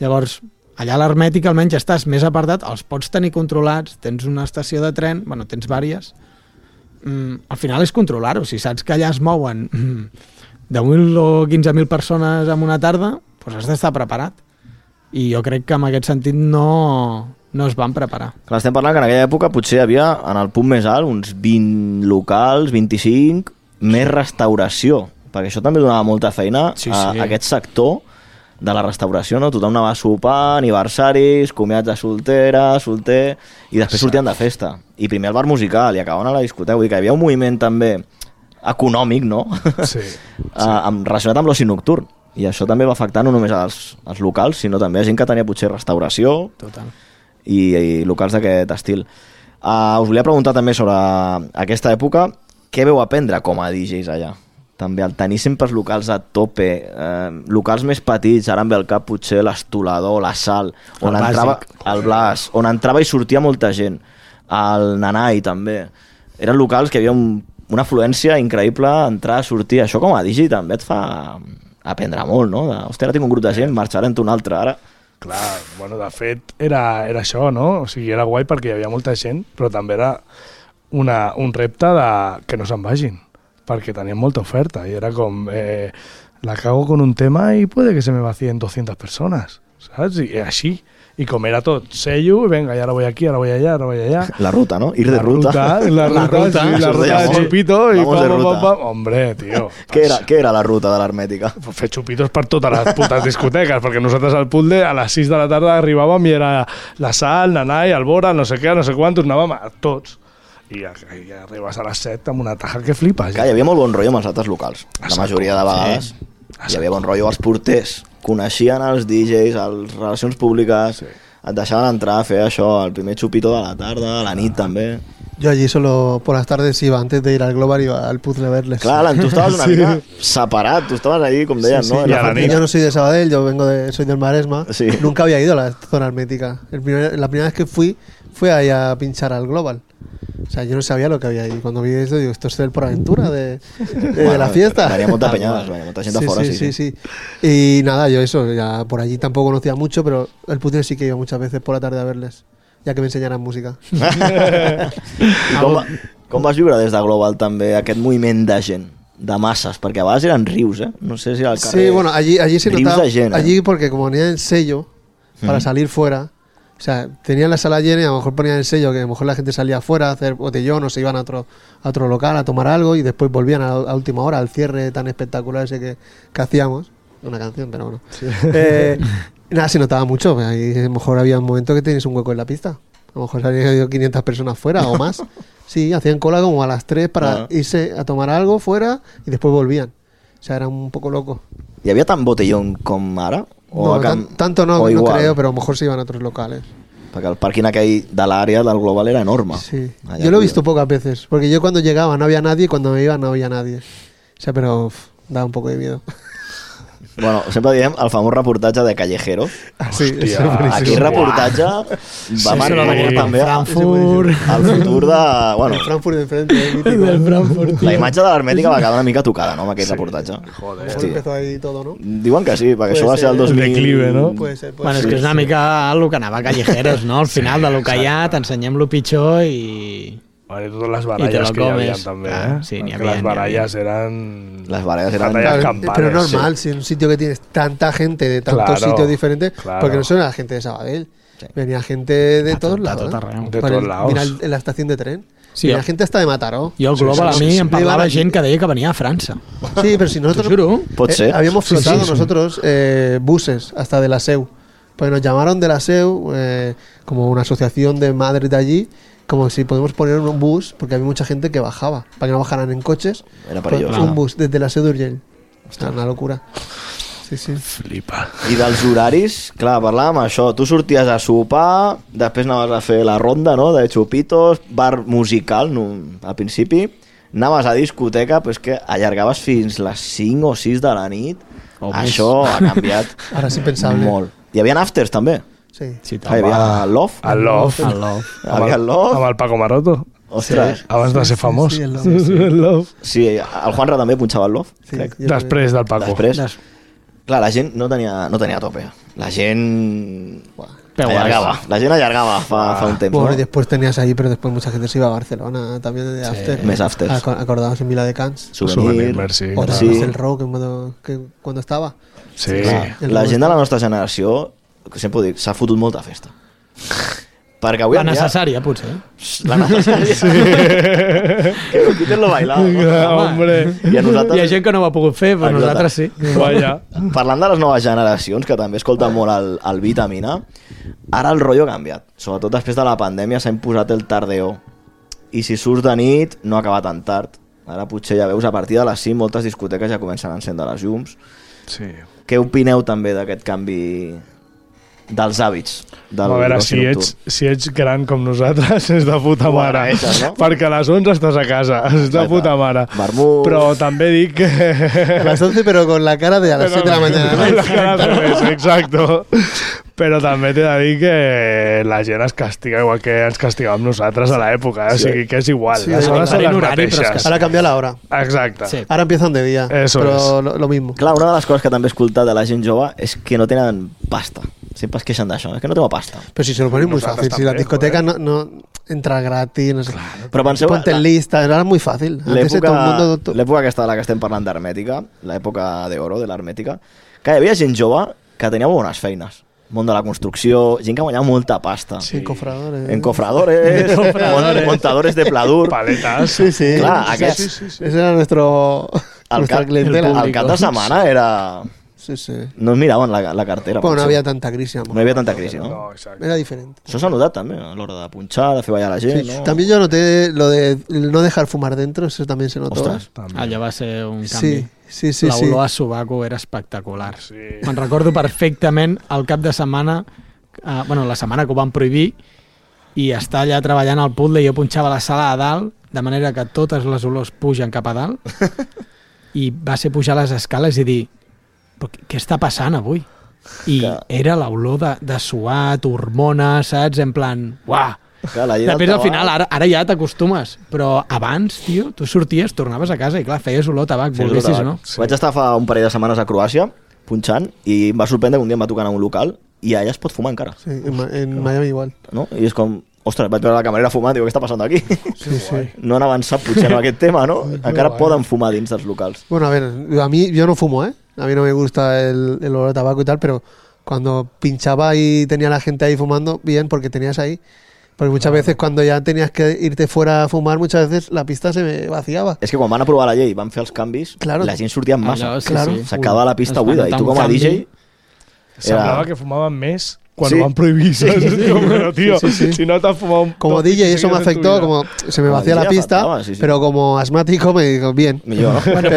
Llavors, allà a l'hermètica almenys estàs més apartat, els pots tenir controlats, tens una estació de tren, bueno, tens vàries. Al final és controlar-ho. Si saps que allà es mouen 10.000 o 15.000 persones en una tarda, doncs has d'estar preparat. I jo crec que en aquest sentit no es van preparar. Clar, estem parlant que en aquella època potser hi havia, en el punt més alt, uns 20 locals, 25, més restauració, perquè això també donava molta feina a aquest sector de la restauració, no? Tothom anava a sopar, aniversaris, comiats de solter, i després sortien de festa. I primer al bar musical, i acabaven a la discoteca. Vull dir que hi havia un moviment també econòmic, no? Sí. Relacionat amb l'oci nocturn. I això també va afectar no només als locals, sinó també a gent que tenia potser restauració. Total. I locals d'aquest estil. Us volia preguntar també sobre aquesta època, què veu aprendre com a DJs allà? També el tenir sempre els locals a tope, locals més petits, ara em ve al cap potser l'Estolador, la Sal, on entrava el Blas, on entrava i sortia molta gent, el Nanai també. Eren locals que hi havia una afluència increïble, entrar, sortir. Això com a DJ també et fa aprendre molt, no? Hòstia, ara tinc un grup de gent, marxarem un altre ara. Clar, bueno, de fet era això, no? O sigui, era guai perquè hi havia molta gent, però també era un repte de que no se'n vagin, perquè tenían molta oferta y era com la cago con un tema y puede que se me vacíen 200 personas, ¿sabes? Y así, y com era tot sello, y venga, y ahora voy aquí, ahora voy allá, ahora voy allá. La ruta, ¿no? Ir de ruta. La ruta de Chupito y pam. Hombre, tío. Què era la ruta de l'hermètica? Fer xupitos per totes les putes discoteques, perquè nosaltres al Puzzle a les 6 de la tarda arribàvem i era la Sal, Nanai, el Bora, no sé què, no sé quant, anàvem a tots. I arribes a les 7 amb una taja que flipes. Clar, hi havia molt bon rotllo amb els altres locals. La majoria de vegades hi havia bon rotllo. Els porters coneixien els DJs, les relacions públiques, et deixaven entrar a fer això, el primer xupito de la tarda, a la nit també. Yo allí solo por las tardes iba, antes de ir al Global iba al Puzzle a verles. Clar, tu estaves una mica separat, tu estaves ahí, com deien, ¿no? Yo no soy de Sabadell, soy del Maresma. Sí. Nunca había ido a la zona hermética. La primera vez que fui ahí a pinchar al Global. O sea, yo no sabía lo que había ahí. Cuando vi esto, digo, esto es el PorAventura de la fiesta. Venia molta peñada, venia molta gent de fora. Sí. Y nada, yo eso, ya por allí tampoco conocía mucho, pero el Puzzle sí que iba muchas veces por la tarde a verles, ja que m'ensenyaran música. I com vas viure des de Global també aquest moviment de gent? de masses, perquè a vegades eren rius, no sé si al carrer... Sí, bueno, allí se rius notaba, de gent, allí porque como ponían el sello para salir fuera, o sea, tenían la sala llena y a lo mejor ponían el sello que a lo mejor la gente salía afuera a hacer botellón o se iban a otro local a tomar algo y después volvían a última hora al cierre tan espectacular ese que hacíamos, una canción, pero bueno. Sí. Nada, se notaba mucho, ahí a lo mejor había un momento que tenías un hueco en la pista, a lo mejor salían 500 personas fuera o más. Sí, hacían cola como a las 3 para irse a tomar algo fuera y después volvían. O sea, era un poco loco. ¿Y había tan botellón com ara? No, tanto no creo, pero a lo mejor se iban a otros locales. Perquè el pàrquing aquell de l'àrea del Global era enorme. Sí, yo lo he visto pocas veces, porque yo cuando llegaba no había nadie y cuando me iba no había nadie. O sea, pero daba un poco de miedo. Bueno, sempre diem el famós reportatge de Callejero. Sí, és aquell reportatge va marcar també Frankfurt. el futur de... Bueno, el Frankfurt de frente, del Frankfurt. La imatge de l'Hermètica va quedar una mica tocada, no?, amb aquell reportatge. Joder. Empezó ahí todo, ¿no? Diuen que sí, perquè això va ser el 2000... declive, no? Puede ser. Bueno, és que és una mica el que anava a Callejeros, no? Al final de lo que hi ha, t'ensenyem lo pitjor i... Bueno, i totes les baralles que hi havia també, Sí, n'hi havia, les baralles eren... Les baralles eren... Pero normal, si en un sitio que tienes tanta gente de tantos sitios diferentes, porque no solo era gente de Sabadell, venía gente de todos lados. De todos lados. Mira en la estación de tren. Sí, venía gente hasta de Mataró. Jo al Global a mi em parlava gent que deia que venia a França. Sí, pero si nosotros Pot ser. habíamos flotado nosotros buses hasta de la SEU. Pues nos llamaron de la SEU como una asociación de madres de allí, como si podemos poner un bus, porque había mucha gente que bajaba, para que no bajaran en coches. Era perilloso. Un bus desde la SEU d'Urgell. Era una locura. Sí, sí. Flipa. I dels horaris, clar, parlàvem això, tu sorties a sopar, després anaves a fer la ronda, no?, de xupitos, bar musical, no, al principi, anaves a discoteca, però és que allargaves fins les 5 o 6 de la nit. Això ha canviat. Ara és impensable. Molt. Hi havia afters, també. Sí. Hi havia el Love. El Love. Havia el Love. Amb el Paco Maroto. Ostres. Abans de ser famós. Sí, el Love. El Love. Sí, el Juanra també punxava el Love, crec. Després del Paco. Després. Clar, la gent no tenia tope. La gent allargaba. La gent allargaba fa un temps. Bueno, ¿no? y después tenías ahí, pero después mucha gente se iba a Barcelona también de after. Més afters. Acordados en Vila de Cans. Souvenir. Sí. O el rock cuando estaba. Sí. La gent de la nostra generació, que sempre ho dic, s'ha fotut molta festa. Perquè avui la necessària, potser. La necessària. Sí. Que no quiten lo bailado. Hombre. I a nosaltres... Hi ha gent que no ho ha pogut fer, però nosaltres sí. Vaya. Parlant de les noves generacions, que també escolten molt el Vitamina, ara el rotllo ha canviat. Sobretot després de la pandèmia s'ha imposat el tardeo. I si surts de nit, no acaba tan tard. Ara potser ja veus, a partir de les 5 moltes discoteques ja comencen a encendre les llums. Sí. Què opineu també d'aquest canvi dels hàbits del a veure, oci nocturn? si ets gran com nosaltres és de puta mare, no? perquè a les 11 estàs a casa, és de puta mare. Vermut. Però també dic que... A las 11 pero con la cara de a las 7 de la mañana. Con la cara al revés, exacto. Però també t'he de dir que la gent es castiga igual que ens castigàvem nosaltres a l'època, o sigui que és igual. Sí, les hores són les horari, però mateixes. Ahora cambia la hora. Exacte. Sí. Ahora empiezan de día. Eso pero es. lo mismo. Clar, una de les coses que també he escoltat de la gent jove és que no tenen pasta. Sempre es queixen d'això, és que no tengo pasta. Pero si se lo ponen muy Nosotros fácil. Si la también, discoteca no entra gratis, no sé. Però penseu... Ponte en lista, era muy fácil. Antes todo el mundo... L'època aquesta de la que estem parlant d'Hermètica, l'època d'oro de l'Hermètica, que hi havia gent jove que tenia bones feines. Món de la construcció, gent que guanyava molta pasta. Sí, encofradores. Encofradores, montadores de pladur. Paletas. Sí, sí. Clar, O sea, aquests... ese era nuestra clientela. El cap de setmana era... Sí, sí. No es miraven la cartera. Bueno, no potser. había tanta crisis. No hi havia tanta crisi, no? No, exacte. Era diferente. Això s'ha notat també, a l'hora de punxar, de fer ballar la gent, Sí. no? También yo noté lo de no dejar fumar dentro, eso también se notó. Ostres. Allò va ser un canvi. Sí, sí, sí. sí. L'olor a sobaco era espectacular. Sí. Me'n recordo perfectament el cap de setmana, la setmana que ho van prohibir, i estar allà treballant al puzzle i jo punxava la sala a dalt, de manera que totes les olors pugen cap a dalt, i va ser pujar les escales i dir, però què està passant avui? I era l'olor de suat, hormones, saps? En plan, uah! Clar, la llei del Després, al tabac- final, ara ja t'acostumes, però abans, tio, tu sorties, tornaves a casa i, clar, feies olor a tabac, Sí, volguessis o tabac. no. Vaig estar fa un parell de setmanes a Croàcia, punxant, i em va sorprendre que un dia em va tocar en un local i allà es pot fumar encara, Sí, en Miami igual. no? I és com, Ostres, vaig veure la camarera fumant, diu, què està passant aquí? Sí, sí. No han avançat potser en aquest tema, ¿no? Encara poden fumar dins dels locals. Bueno, a ver, yo no fumo, ¿eh? A mí no me gusta el olor a tabaco y tal, pero cuando pinchaba y tenía la gente ahí fumando, bien, porque tenías ahí. Porque muchas veces cuando ya tenías que irte fuera a fumar, muchas veces la pista se me vaciaba. És que quan van aprovar la llei i van fer els canvis, Claro. la gent sortia en massa. Allò, sí, Claro. sí. S'acabava la pista Es va buida. I notar tu un com a canvi. DJ... Semblava que fumaven més quan Sí. ho van prohibir. ¿sabes? Pero, tío, Sí, sí. si no te has fumado un Como toque DJ eso me seguido en tu afectó, vida. como se me Como vacía la DJ pista, afectaba, sí, sí. pero como asmático me digo, bien. Millor, no? Bueno,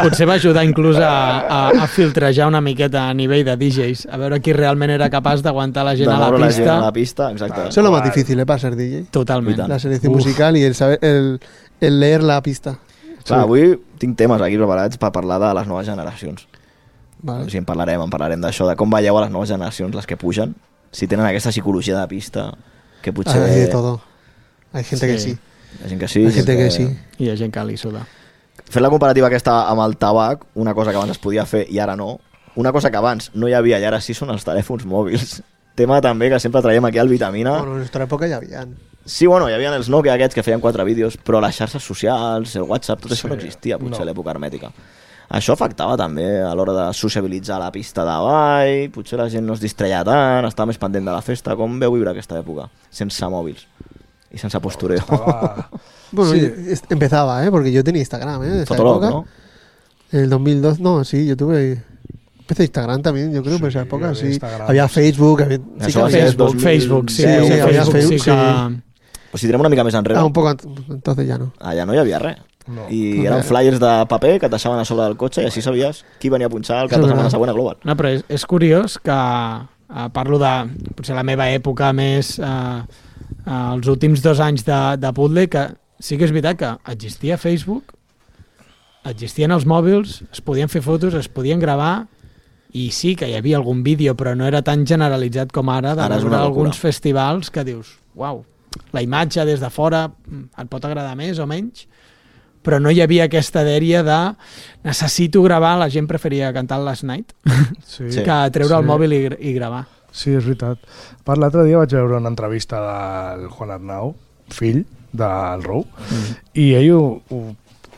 potser va ajudar inclús a filtrejar una miqueta a nivell de DJs, a veure qui realment era capaç d'aguantar la gent De a la moure la gent pista. a la pista, exacte. Eso es lo más Igual. difícil, para ser DJ. Totalment. I tant. La selección musical y el saber, el leer la pista. Clar, avui tinc temes aquí preparats per parlar de les noves generacions. Vale. O sigui, en parlarem d'això, de com veieu a les noves generacions, les que pugen, si tenen aquesta psicologia de pista, que potser... Hay de todo. Hay gente que sí. Hi ha gent que sí. Hay gente que sí. I hi ha gent que li suda. Fent la comparativa aquesta amb el tabac, una cosa que abans es podia fer i ara no, una cosa que abans no hi havia i ara sí són els telèfons mòbils. Tema també que sempre traiem aquí al Vitamina. Bueno, en nuestra época ya habían. Sí, bueno, hi havia els Nokia aquests que feien 4 vídeos, però les xarxes socials, el WhatsApp, tot això no existia potser a l'època hermètica. Això afectava també a l'hora de sociabilitzar a la pista de ball, potser la gent no es distreia tant, estava més pendent de la festa. Com veu viure aquesta època? Sense mòbils i sense postureo. Bueno, Sí. empezaba, porque yo tenía Instagram, de esa Fotolog, época. ¿no? En el 2002, no, sí, yo tuve... Empecé Instagram también, yo creo, Sí, por esa época, había sí. Instagram. Había Facebook, había... Això que va ser había- 2010, Facebook, sí, sí, había Facebook Facebook, sí que... O si tirem una mica més enrere, un poco entonces ya no. allà no hi havia res. No. I eren flyers de paper que et deixaven a sobre del cotxe i així sabies qui venia a punxar el cap de setmana següent a Global. No, però és curiós que parlo de potser la meva època més els últims 2 anys de Puzzle, que sí que és veritat que existia Facebook, existien els mòbils, es podien fer fotos, es podien gravar, i sí que hi havia algun vídeo, però no era tan generalitzat com ara, de Ara és veure una locura. alguns festivals que dius, uau, la imatge des de fora et pot agradar més o menys, però no hi havia aquesta dèria de necessito gravar, la gent preferia cantar el Last Night Sí. Sí. que treure el Sí. mòbil i gravar. Sí, és veritat. Per l'altre dia vaig veure una entrevista del Juan Arnau, fill del Rou, i ell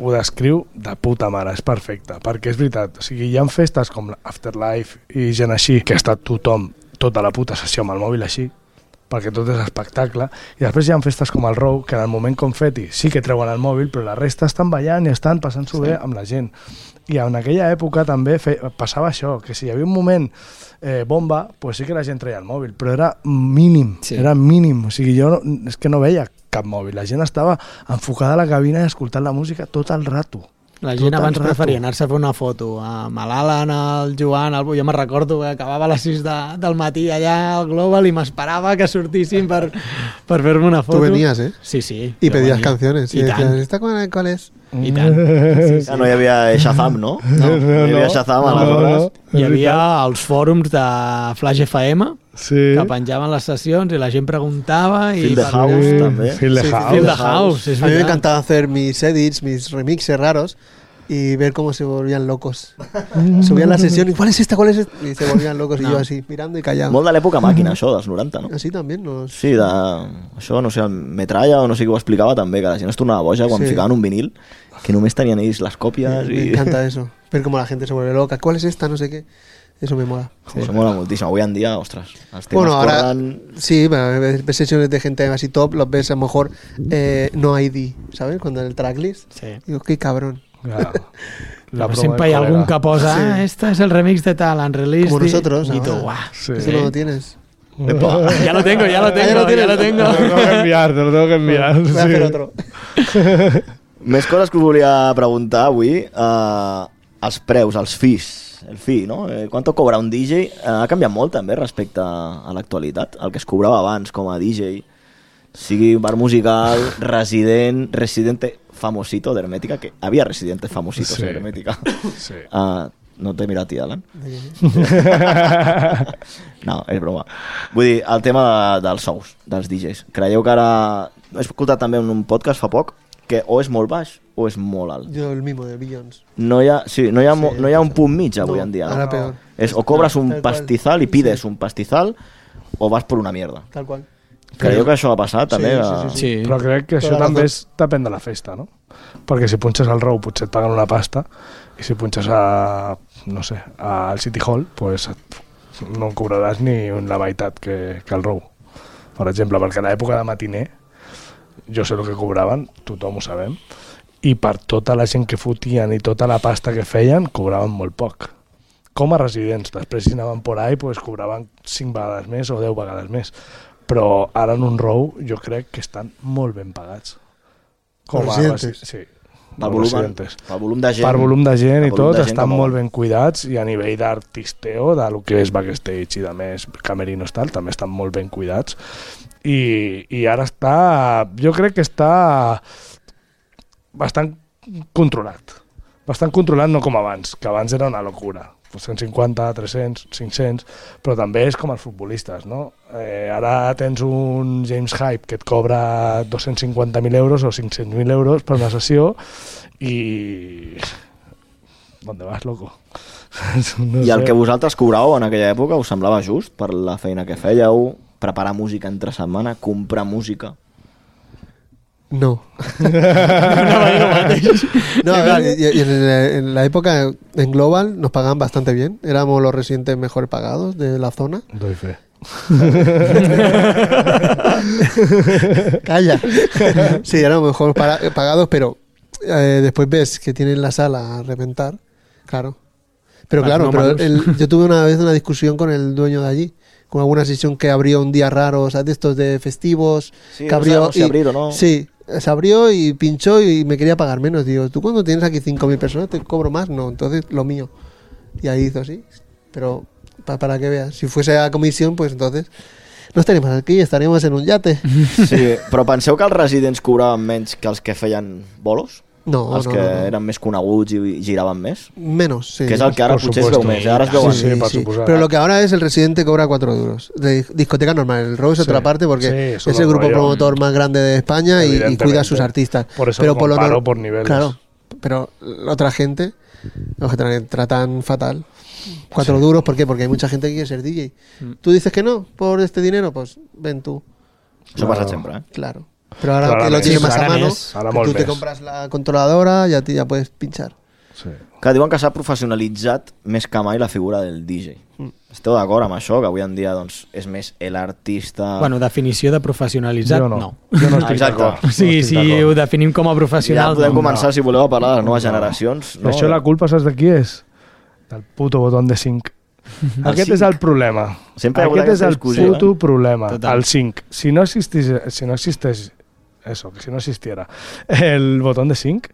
ho descriu de puta mare, és perfecte, perquè és veritat, o sigui, hi ha festes com l'Afterlife i gent així, que està tothom, tota la puta sessió amb el mòbil així, perquè tot és espectacle, i després hi ha festes com el Rou, que en el moment confeti sí que treuen el mòbil, però la resta estan ballant i estan passant-s'ho bé amb la gent. I en aquella època també passava això, que si hi havia un moment bomba, pues sí que la gent treia el mòbil, però era mínim, Sí. era mínim, o sigui, jo és que no veia cap mòbil, la gent estava enfocada a la cabina i escoltant la música tot el rato. La gent Tot abans el rato. preferia anar-se a fer una foto amb l'Alan, el Joan, jo me'n recordo que acabava a les 6 del matí allà al Global i m'esperava que sortissin per fer-me una foto. Tú venías, ¿eh? Sí, sí. Y jo pedías venia. canciones. Y I decías, tant, ¿esta cuál es? i tant. Sí, sí. Ja no hi havia Shazam, no? No hi havia Shazam aleshores. Hi havia els fòrums de Flash FM Sí. que penjaven les sessions i la gent preguntava i Feel the per House, allà- també. Feel the Sí, House. Feel the House, és A mí me veritat. encantaba hacer mis edits, mis remixes raros y ver cómo se volvían locos. Subían la sesión y ¿cuál es esta? ¿Cuál es esta? Y se volvían locos y yo así, mirando y callado. Molt de l'època màquina, això, dels 90, no? Así también nos... Sí, això, no sé, el Metralla o no sé qui ho explicava també, que la gent es tornava boja quan Sí. ficaven un vinil, que només tenien ells les còpies Me i... encanta eso. Ver cómo la gente se vuelve loca. ¿Cuál es esta? No sé qué. Eso me mola. Això mola moltíssim. Avui en dia, ostres, els temes Bueno, ahora corren... sí, ves sesiones de gente así top, los ves a lo mejor no ID, ¿sabes? Cuando en el tracklist. Sí. Digo, qué cabrón. Claro. La Però promo sempre hi ha del algún col·lega. que posa, Sí. este es el remix de tal, unreleased. Como nosotros, I tu, ahora. guau. Sí. Eso no lo tienes. Ya lo tengo, ya lo tengo, ya lo tienes. ya lo tengo. Te lo tengo que enviar, te lo tengo que enviar. Voy a hacer otro. Més coses que us volia preguntar avui. Els preus, els fees, el fee, no? Quanto cobra un DJ? Ha canviat molt també respecte a l'actualitat. El que es cobrava abans com a DJ, sigui bar musical, residente famosito d'Hermètica, que havia residentes famositos Sí. d'Hermètica. Sí. No t'he mirat, Alan? No, és broma. Vull dir, el tema dels sous dels DJs. Creieu que ara... He escoltat també en un podcast fa poc que o és molt baix o és molt alt. Yo el mismo de Billions. No hi ha, sí, no hi ha un punt mig avui No, en dia. ahora No? peor. És o cobres un Tal cual. pastizal i pides un pastizal o vas por una mierda. Tal cual. Creieu que això ha passat, també? Sí. Però crec que això també depèn de la festa, no? Perquè si punxes al Rou potser et paguen una pasta i si punxes no sé, al City Hall, pues no en cobraràs ni la meitat que al Rou, per exemple, perquè a l'època de matiner jo sé el que cobraven, tothom ho sabem, i per tota la gent que fotien i tota la pasta que feien, cobraven molt poc. Com a residents, després si anaven por ahí, pues cobraven 5 vegades més o 10 vegades més. Però ara en un Rou jo crec que estan molt ben pagats. Com a residents. Sí. Per volum de gent. Per volum de gent i tot, estan molt ben cuidats i a nivell d'artisteo, de lo que és backstage i de més camerinos tal, també estan molt ben cuidats. I ara jo crec que està bastant controlat. Bastant controlat, no com abans, que abans era una locura. 150, 300, 500, però també és com els futbolistes, no? Ara tens un James Hype que et cobra 250.000 euros o 500.000 euros per una sessió i... ¿Dónde vas, loco? No I el que vosaltres cobràveu en aquella època us semblava just per la feina que fèieu, preparar música entre setmana, comprar música? No. No, a ver, y en la época en Global nos pagaban bastante bien. Éramos los residentes mejor pagados de la zona. Doy fe. Calla. Sí, éramos mejor pagados, pero después ves que tienen la sala a reventar. Claro. Pero claro, yo tuve una vez una discusión con el dueño de allí, con alguna sesión que abrió un día raro, o sea, de estos de festivos. Sí, que abrió, no sé, abrir o no. Sí, se abrió y pinchó y me quería pagar menos. Digo, tú cuando tienes aquí 5.000 personas te cobro más, no, entonces lo mío. Y ahí hizo así, pero para que veas, si fuese a comisión, pues entonces no estaríamos aquí, estaríamos en un yate. Sí, però penseu que els residents cobraven menys que els que feien bolos? No, els que eren més coneguts i giraven més? Menos, sí. Que és el que ara potser es veu més, ara es veuen. Sí, sí. Pero lo que ahora es el residente cobra 4 euros. De discoteca normal, el Row es otra parte porque es el grupo promotor más grande de España y cuida a sus artistas. Por eso pero lo comparo por niveles. Claro, pero la otra gente los que tratan fatal. 4 duros, ¿por qué? Porque hay mucha gente que quiere ser DJ. Tú dices que no, por este dinero, pues ven tú. Això passa sempre, eh? Claro. Pero ahora que lo tienes más a mano, que tú te compras la controladora y ya puedes pinchar. Sí. Que diuen que s'ha professionalitzat més que mai la figura del DJ. Esteu d'acord amb això? Que avui en dia doncs, és més l'artista... Bueno, definició de professionalitzat, jo no. Jo no estic d'acord. O sigui, si ho definim com a professional... Ja podem començar, si voleu, a parlar de les noves generacions. No? Això la culpa, saps de qui és? Del puto botó de sync. Aquest és el problema. Aquest és el puto problema. El sync. Si no existeix eso, que si no existiera el botón de sync,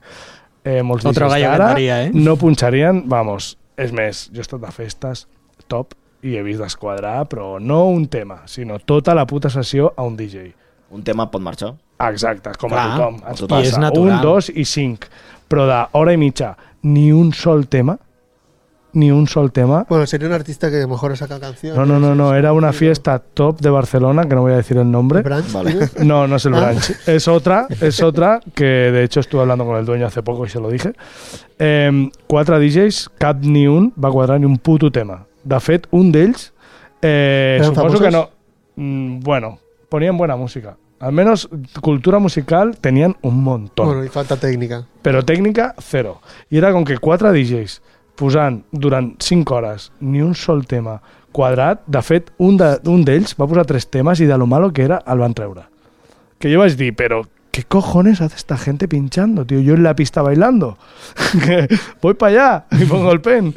molts DJs ara no punxarien, vamos, és més, jo he estat de festes top i he vist desquadrar, però no un tema, sinó tota la puta sessió a un DJ. Un tema pot marxar. Exacte, com a tothom. Ens passa 1, 2 i 5, però d'hora i mitja ni un sol tema. Bueno, sería un artista que a lo mejor saca canciones. No, era una fiesta top de Barcelona, que no voy a decir el nombre. ¿Branch? Vale. No es el Branch. Es otra que de hecho estuve hablando con el dueño hace poco y se lo dije. 4 DJs, cap ni un va quadrar ni un puto tema. De fet, un d'ells, suposo que no... Bueno, ponían buena música. Al menos cultura musical tenían un montón. Bueno, y falta técnica. Pero técnica, cero. Y era con que 4 DJs posant durant 5 hores ni un sol tema quadrat. De fet, un d'ells va posar 3 temes i de lo malo que era el van treure. Que jo vaig dir, però ¿qué cojones hace esta gente pinchando, tío? Yo en la pista bailando. Voy para allá y pongo el pen.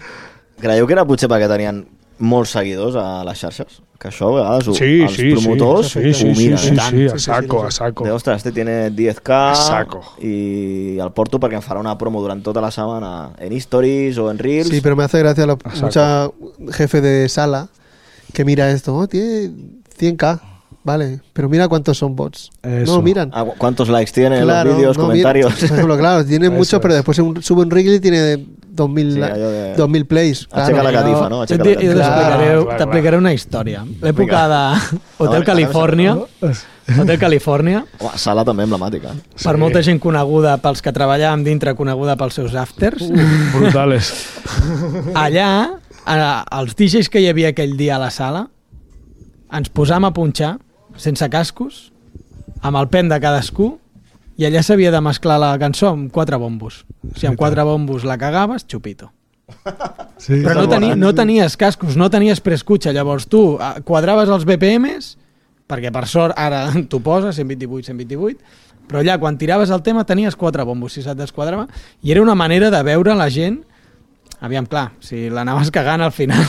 Creieu que era potser perquè tenien molts seguidors a les xarxes? Que això a vegades els promotors ho miren. Sí, a saco. Ostres, este tiene 10K saco. Y al porto perquè em farà una promo durant tota la setmana en Stories o en Reels. Sí, pero me hace gracia mucha jefe de sala que mira esto, tiene 100K. Vale, pero mira cuántos son bots. Eso. No miran. ¿Cuántos likes tiene los vídeos, comentarios? Por ejemplo, claro, tiene muchos, pero después sube un reel y tiene 2.000 plays. Aixeca la catifa, no? T'explicaré una història. L'època d'Hotel Califòrnia. Hotel Califòrnia. Sala també emblemàtica. Per molta gent coneguda, pels que treballàvem dintre, coneguda pels seus afters. Brutales. Allà, els DJs que hi havia aquell dia a la sala, ens posàvem a punxar sense cascos, amb el pen de cadascú, i allà s'havia de mesclar la cançó amb 4 bombos. Si amb 4 bombos la cagaves, xupito. Sí, però no tenies cascos, no tenies preescucha, llavors tu quadraves els BPMs, perquè per sort ara t'ho poses, 128, 128, però allà quan tiraves el tema tenies 4 bombos, si se't desquadrava, i era una manera de veure la gent. Aviam, clar, si l'anaves cagant al final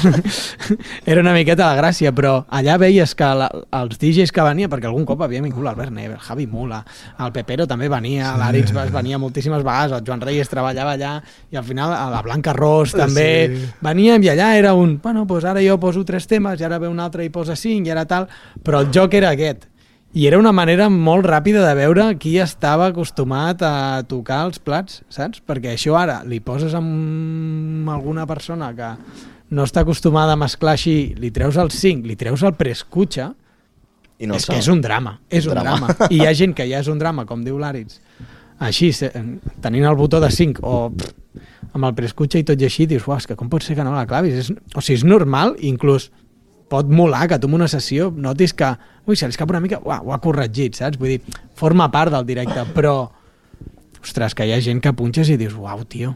era una miqueta la gràcia, però allà veies que els DJs que venia, perquè algun cop havia vingut l'Albert Never, el Javi Mula, el Pepero també venia, l'Aritz venia moltíssimes vegades, el Joan Reyes treballava allà, i al final la Blanca Ros també veníem, i allà era bueno, doncs ara jo poso 3 temes, i ara ve un altre i posa 5, i ara tal, però el joc era aquest. I era una manera molt ràpida de veure qui estava acostumat a tocar els plats, saps? Perquè això ara li poses amb alguna persona que no està acostumada a mesclar així, li treus el 5, li treus el preescucha, no és que és un drama, és un drama. I hi ha gent que ja és un drama, com diu l'Aritz, així, tenint el botó de 5 o amb el preescucha i tot i així, dius, és que com pot ser que no la clavis? O sigui, és normal, inclús pot molar que tu en una sessió notis que se li escapa una mica, ho ha corregit, saps? Vull dir, forma part del directe, però ostres, que hi ha gent que punxes i dius, uau, tio,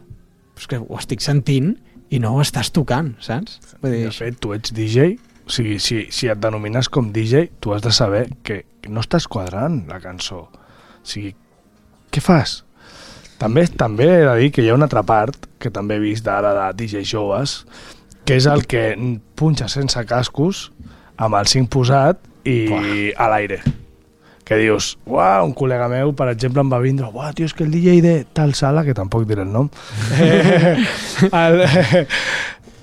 és que ho estic sentint i no ho estàs tocant, saps? Vull dir, de fet, tu ets DJ, o sigui, si et denomines com DJ, tu has de saber que no estàs quadrant la cançó. O sigui, què fas? També he de dir que hi ha una altra part, que també he vist d'ara de DJ joves, que és el que punxa sense cascos, amb el 5 posat i a l'aire. Que dius, un col·lega meu, per exemple, em va vindre, tio, és que el DJ de tal sala, que tampoc diré el nom,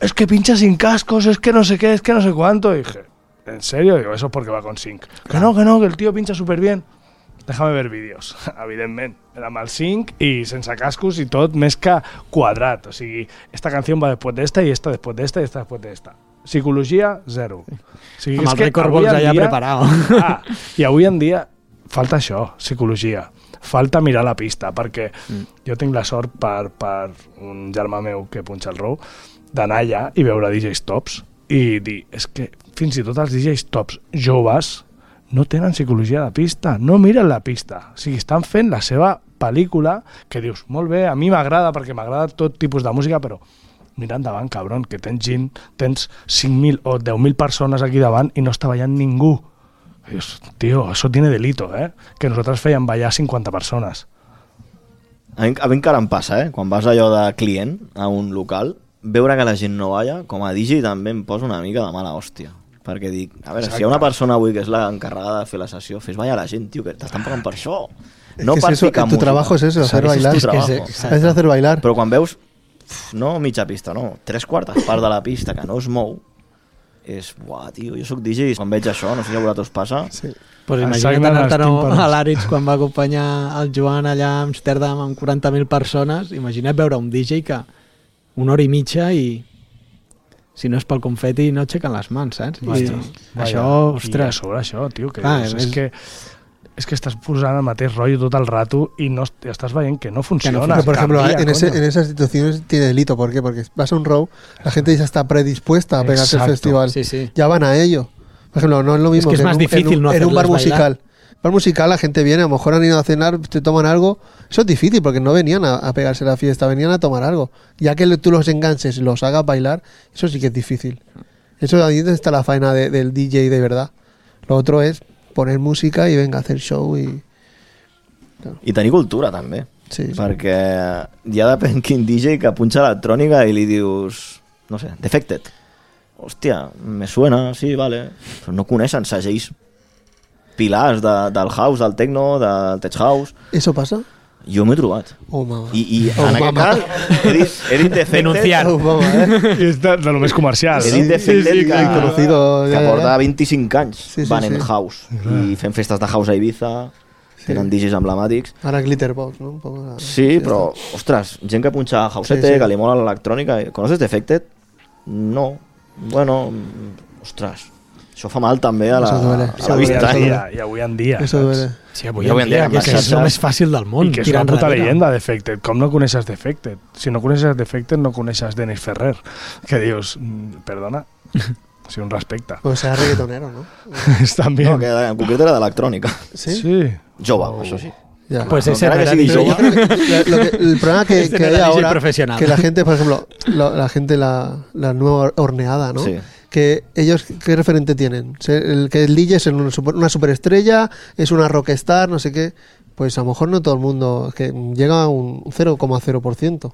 es que pincha sin cascos, es que no sé qué, es que no sé cuánto. Y dije, ¿en serio? Digo, eso es porque va con 5. Que no, que el tío pincha súper bien. Déjame ver vídeos, evidentment. Era amb el 5 i sense cascos i tot més que quadrat. O sigui, esta canción va después de esta y esta después de esta y esta después de esta. Psicologia, 0. O sigui, amb el record box allà preparat. I avui en dia falta això, psicologia. Falta mirar la pista, perquè jo tinc la sort per un germà meu que punxa el row d'anar allà i veure DJs tops i dir, és que fins i tot els DJs tops joves no tenen psicologia de pista, no miren la pista. O sigui, estan fent la seva pel·lícula que dius, molt bé, a mi m'agrada perquè m'agrada tot tipus de música, però mira endavant, cabron, que tens 5.000 o 10.000 persones aquí davant i no està ballant ningú. Dius, tío, eso tiene delito, que nosaltres fèiem ballar 50 persones. A mi encara em passa, quan vas allò de client a un local, veure que la gent no balla, com a DJ també em posa una mica de mala hòstia. Perquè dic, a veure, si hi ha una persona avui que és l'encarregada de fer la sessió, fes ballar la gent, tio, que t'estan pagant per això. No per ficar música. Tu trabajo es eso, hacer bailar. Es hacer bailar. Però quan veus, no mitja pista, no, 3/4 part de la pista que no es mou, és, tio, jo soc DJ i quan veig això, no sé si a vosaltres passa. Sí. Pues imagina't anar-te'n a l'Aritz quan va acompanyar el Joan allà a Amsterdam amb 40.000 persones, imagina't veure un DJ que 1 hora i mitja i si no és pel confeti no aixequen les mans, saps? Això, ostres. I a sobre això, tio, que dius, és que estàs posant el mateix rotllo tot el rato y no estás veient que no funciona. Por ejemplo, en esas situaciones tiene delito. ¿Por qué? Porque vas a un row, la gente ya está predispuesta a pegarse al festival. Sí. Ya van a ello. Por ejemplo, no es lo mismo es que es más difícil no en un bar musical. Bar musical la gente viene, a lo mejor han ido a cenar, te toman algo. Eso es difícil porque no venían a pegarse la fiesta, venían a tomar algo. Ya que tú los enganches y los hagas bailar, eso sí que es difícil. Eso ahí está la faena del DJ de verdad. Lo otro es poner música i venga a hacer show i... Claro. I tenir cultura també, sí. Perquè ja depèn quin DJ que punxa electrònica i li dius, no sé, Defected, hòstia, me suena, sí, vale, però no coneixen segells pilars del house, del techno, del tech house. ¿Eso pasa? Jo m'he trobat. Oh, mama. I en aquest cas he dit Defected. Denunciar. Oh, mama, És de lo més comercial. He dit Defected que porta 25 anys van en house i fent festes de house a Ibiza, tenen DJs emblemàtics. Ara Glitterbox, no? Un poco sí, però, ostres, gent que punxa housete, que li mola l'electrònica. ¿Conoces Defected? No. Bueno, ostres, això fa mal també a la vista. I avui en dia. Eso duele. Sí, avui en dia, que és el més fàcil del món. I que és una puta leyenda, Defected. Com no coneixes Defected? Si no coneixes Defected, no coneixes Dennis Ferrer. Que dius, perdona, O sigui, un respecte. Pues sea reggaetonero, ¿no? També. No, que en concret era d'electrònica. Sí. Sí. Jove, això sí. Ya. Pues ese no encara era que sigui DJ. jove. El problema que Este no hay era DJ ahora, profesional. que la gente, por ejemplo, la nueva horneada, ¿no? Sí. Que ellos, ¿qué referente tienen? Que el DJ es una superestrella, es una rockstar, no sé qué. Pues a lo mejor no todo el mundo, que llega a un 0,0%.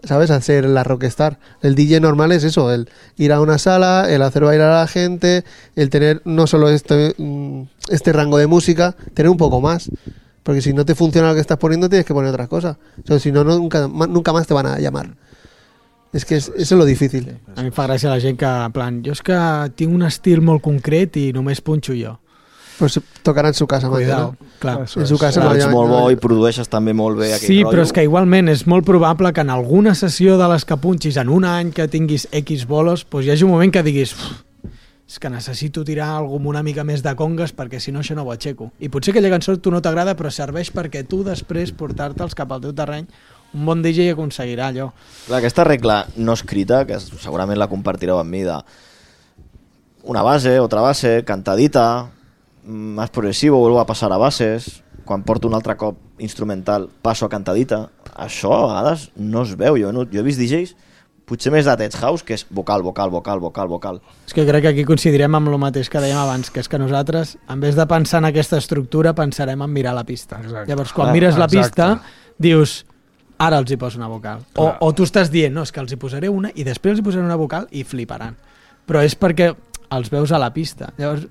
¿Sabes? Al ser la rockstar. El DJ normal es eso, el ir a una sala, el hacer bailar a la gente, el tener no solo este rango de música, tener un poco más. Porque si no te funciona lo que estás poniendo, tienes que poner otras cosas. O sea, si no, nunca más te van a llamar. És que eso es lo difícil. A mi em fa gràcia la gent que, en plan, jo és que tinc un estil molt concret i només punxo jo. Pues tocarà en su casa. Cuidao, clar. En su casa. Ets molt bo i produeixes també molt bé aquell Sí, rotllo. però és que igualment és molt probable que en alguna sessió de les que punxis en un any que tinguis X bolos, doncs hi hagi un moment que diguis és que necessito tirar algú amb una mica més de congues perquè si no això no ho aixeco. I potser aquella cançó tu no t'agrada però serveix perquè tu després portar-te'ls cap al teu terreny. Un bon DJ aconseguirà allò. Clar, aquesta regla no escrita, que segurament la compartireu amb mi, de una base, otra base, cantadita, más progresivo, vuelvo a passar a bases, quan porto un altre cop instrumental passo a cantadita, això a vegades no es veu. Jo he vist DJs potser més de Tech House, que és vocal, vocal, vocal, vocal, vocal. És que crec que aquí coincidirem amb el mateix que dèiem abans, que és que nosaltres, en vez de pensar en aquesta estructura, pensarem en mirar la pista. Exacte. Llavors, quan mires la Exacte. pista, dius, ara els hi poso una vocal. O tu estàs dient, no, és que els hi posaré una i després els hi posaré una vocal i fliparan. Però és perquè els veus a la pista. Llavors,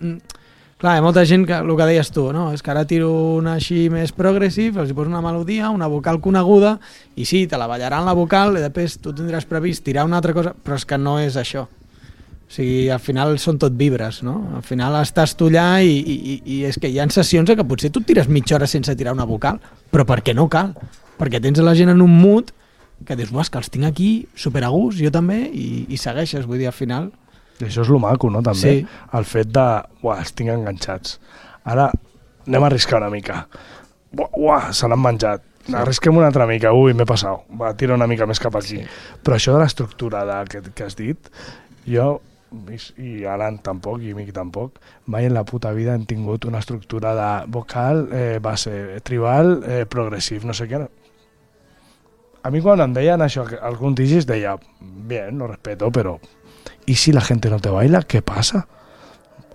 clar, hi ha molta gent que, el que deies tu, no? És que ara tiro una així més progressive, els hi poso una melodia, una vocal coneguda, i sí, te la ballaran la vocal, i després tu tindràs previst tirar una altra cosa, però és que no és això. O sigui, al final són tot vibres, no? Al final estàs tu allà i és que hi ha sessions en què potser tu et tires mitja hora sense tirar una vocal, però perquè no cal. Perquè tens la gent en un mood que dius, és que els tinc aquí super a gust, jo també, i segueixes, vull dir, al final. I això és lo maco, no? També. Sí. El fet de, els tinc enganxats. Ara anem a arriscar una mica. Se l'han menjat. Arrisquem una altra mica. M'he passat. Va, tira una mica més cap aquí. Sí. Però això de l'estructura que has dit, jo, i Alan tampoc, i Miqui tampoc, mai en la puta vida hem tingut una estructura de vocal, base, tribal, progressiu, no sé què. A mi quan em deien això, algun DJs deia, bien, lo respeto, pero ¿y si la gente no te baila? ¿Qué pasa?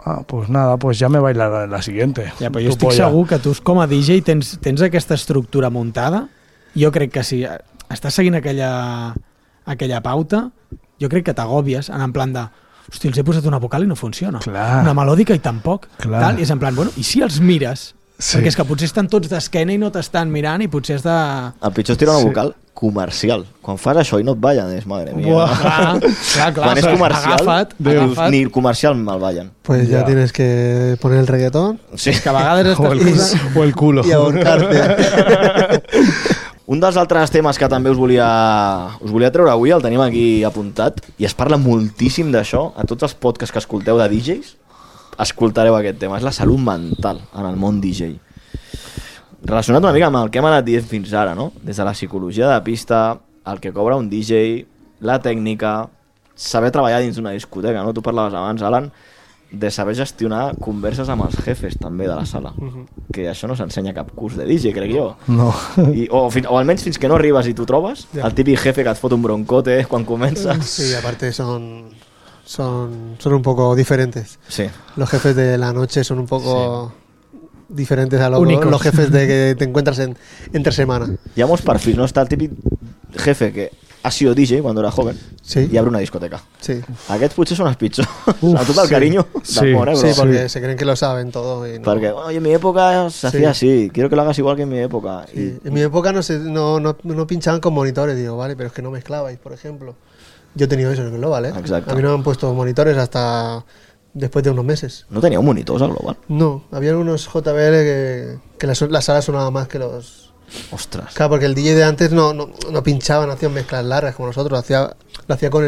Ah, pues nada, pues ya me bailarán en la siguiente. Ja, però jo estic segur que tu com a DJ tens aquesta estructura muntada. Jo crec que si estàs seguint aquella pauta, jo crec que t'agòbies en plan de hosti, els he posat una vocal i no funciona. Clar. Una melòdica i tampoc. Clar. Tal, i és en plan, bueno, i si els mires? Sí. Perquè és que potser estan tots d'esquena i no t'estan mirant i potser has de... El pitjor és tirar una vocal comercial. Quan fas això i no et ballen, és madre mía. Clar, Quan és comercial, agafa't. ni comercial me'l ballen. Pues ya tienes que poner el reggaetón Sí. Que a vegades estàs posant... O el culo. y ahorcarte. Un dels altres temes que també us volia treure avui, el tenim aquí apuntat, i es parla moltíssim d'això. A tots els podcasts que escolteu de DJs, escoltareu aquest tema. És la salut mental en el món DJ. Relacionat una mica amb el que hem anat dient fins ara, no? Des de la psicologia de pista, el que cobra un DJ, la tècnica, saber treballar dins d'una discoteca, no? Tu parlaves abans, Alan, de saber gestionar converses amb els jefes també de la sala, que això no s'ensenya a cap curs de DJ, crec jo. No. O almenys fins que no arribes i t'ho trobes, el típic jefe que et fot un broncote quan comences. Sí, aparte son un poco diferentes. Sí. Los jefes de la noche son un poco diferentes a los jefes de que te encuentras entre semana. Hi ha molts perfils, ¿no? Está el típic jefe que ha sido DJ cuando era joven Sí. y abre una discoteca. Sí. Aquests potser són els pitjors. A tot el carinyo del món, Sí, bro. porque se creen que lo saben todo. Y no. Porque, oye, en mi época se hacía así, quiero que lo hagas igual que en mi época. Sí. En mi época no pinchaban con monitores, digo, vale, pero es que no mezclabais, por ejemplo. Yo he tenido eso en el Global, ¿eh? Exacto. A mí no me han puesto monitores hasta después de unos meses. No teníeu monitors al Global? No, había unos JBL que la sala sonaba más que los... Ostres. Claro, porque el DJ de antes no pinchaba, no hacía mezclas largas como nosotros, lo hacía con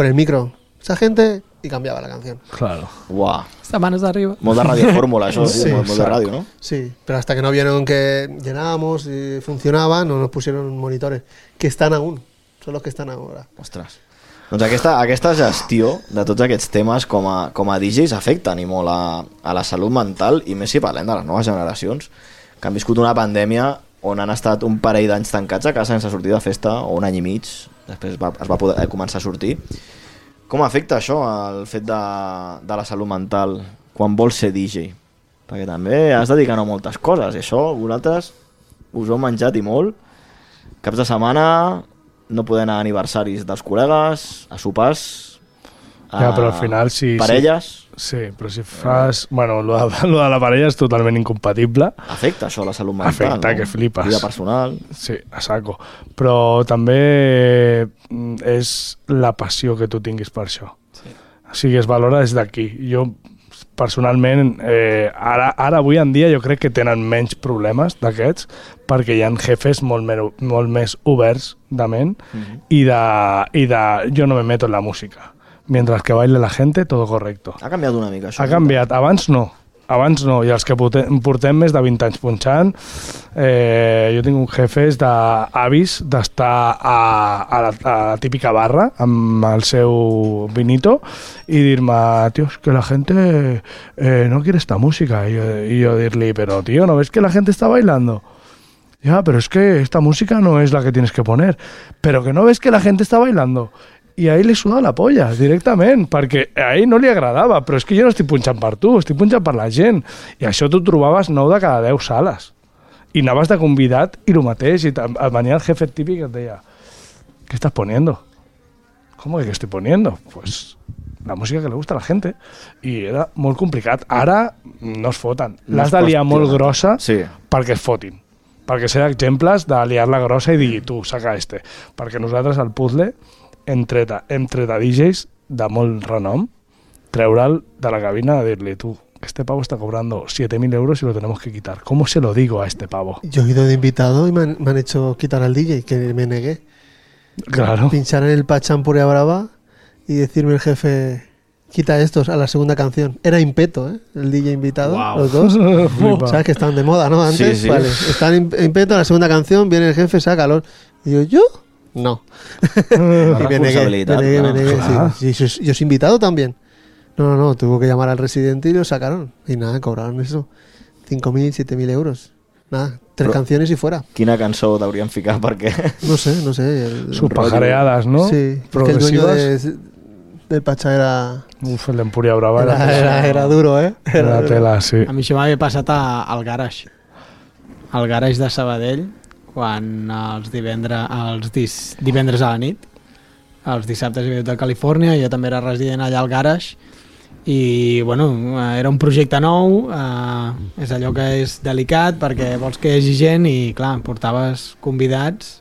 el micro. Esa gente y cambiaba la canción. Claro. Uau. Esta manos d'arriba. Molt de radiofórmula, això, Sí, molt de ràdio, no? Sí, pero hasta que no vieron que llenábamos y funcionaba, no nos pusieron monitores, que están aún, son los que están ahora. Ostres. Doncs aquesta gestió de tots aquests temes com a DJs afecten i molt a la salut mental, i més si parlem de les noves generacions que han viscut una pandèmia on han estat un parell d'anys tancats a casa sense sortir de festa, o un any i mig, després es va poder començar a sortir. Com afecta això el fet de la salut mental quan vols ser DJ? Perquè també has dedicat a moltes coses, i això vosaltres us heu menjat i molt. Caps de setmana, no poder anar a aniversaris dels col·legues, a sopars, ja, però al final parelles... Sí, però si fas... Bueno, lo de la parella és totalment incompatible. Afecta això la salut mental, afecta, no? Que flipes. Vida personal... Sí, a saco. Però també és la passió que tu tinguis per això. Sí. O sigui, es valora des d'aquí. Jo, personalment, ara avui en dia jo crec que tenen menys problemes d'aquests, perquè hi ha jefes molt més oberts de ment i de jo no me meto en la música. Mientras que baile la gente, todo correcto. Ha canviat una mica això. Ha canviat. Abans no. I els que portem més de 20 anys punxant, jo tinc un jefes d'avis d'estar a la típica barra amb el seu vinito i dir-me, tío, es que la gente no quiere esta música. Y yo dirle, pero tío, ¿no ves que la gente está bailando? Ya, pero es que esta música no es la que tienes que poner. Pero que no ves que la gente está bailando. I a ell li suda la polla, directament, perquè a ell no li agradava, però és que jo no estic punxant per tu, estic punxant per la gent. I això tu trobaves 9 de cada 10 sales. I anaves de convidat i el mateix, i venia el jefe típic i et deia, ¿qué estás poniendo? ¿Cómo que qué estoy poniendo? Pues la música que le gusta a la gente. I era molt complicat. Ara no es foten. L'has de liar molt grossa perquè es fotin. Perquè ser exemples de liar-la grossa i dir, tu, saca este. Perquè nosaltres al puzzle entre de DJs de molt renom, treure'l de la cabina y dir-li, tú, este pavo está cobrando 7.000 euros y lo tenemos que quitar. ¿Cómo se lo digo a este pavo? Yo he ido de invitado y me han hecho quitar al DJ, que me negué. Claro. Pinchar en el Pachán Puria Brava y decirme el jefe, quita estos a la segunda canción. Era Impeto, el DJ invitado, los dos. ¿Sabes que estaban de moda, no? Antes, sí. Vale. Están Impeto a la segunda canción, viene el jefe, sácalos. Y yo... No. La responsabilitat. Me negué. Sí, yo soy invitado también. No, tuvo que llamar al residente y lo sacaron. Y nada, cobraron eso. 5.000, 7.000 euros. Nada, 3 canciones y fuera. Quina cançó t'haurien ficat, perquè... No sé. Sus pajareadas, ¿no? Sí, porque el dueño del Pachá era... Uf, el d'Empúria Brava era duro, Era tela, sí. A mi això m'havia passat al Garage. Al Garage de Sabadell, quan els divendres a la nit, els dissabtes hi havia de Califòrnia, jo també era resident allà al Garage, i bueno, era un projecte nou, és allò que és delicat perquè vols que hi hagi gent i clar, portaves convidats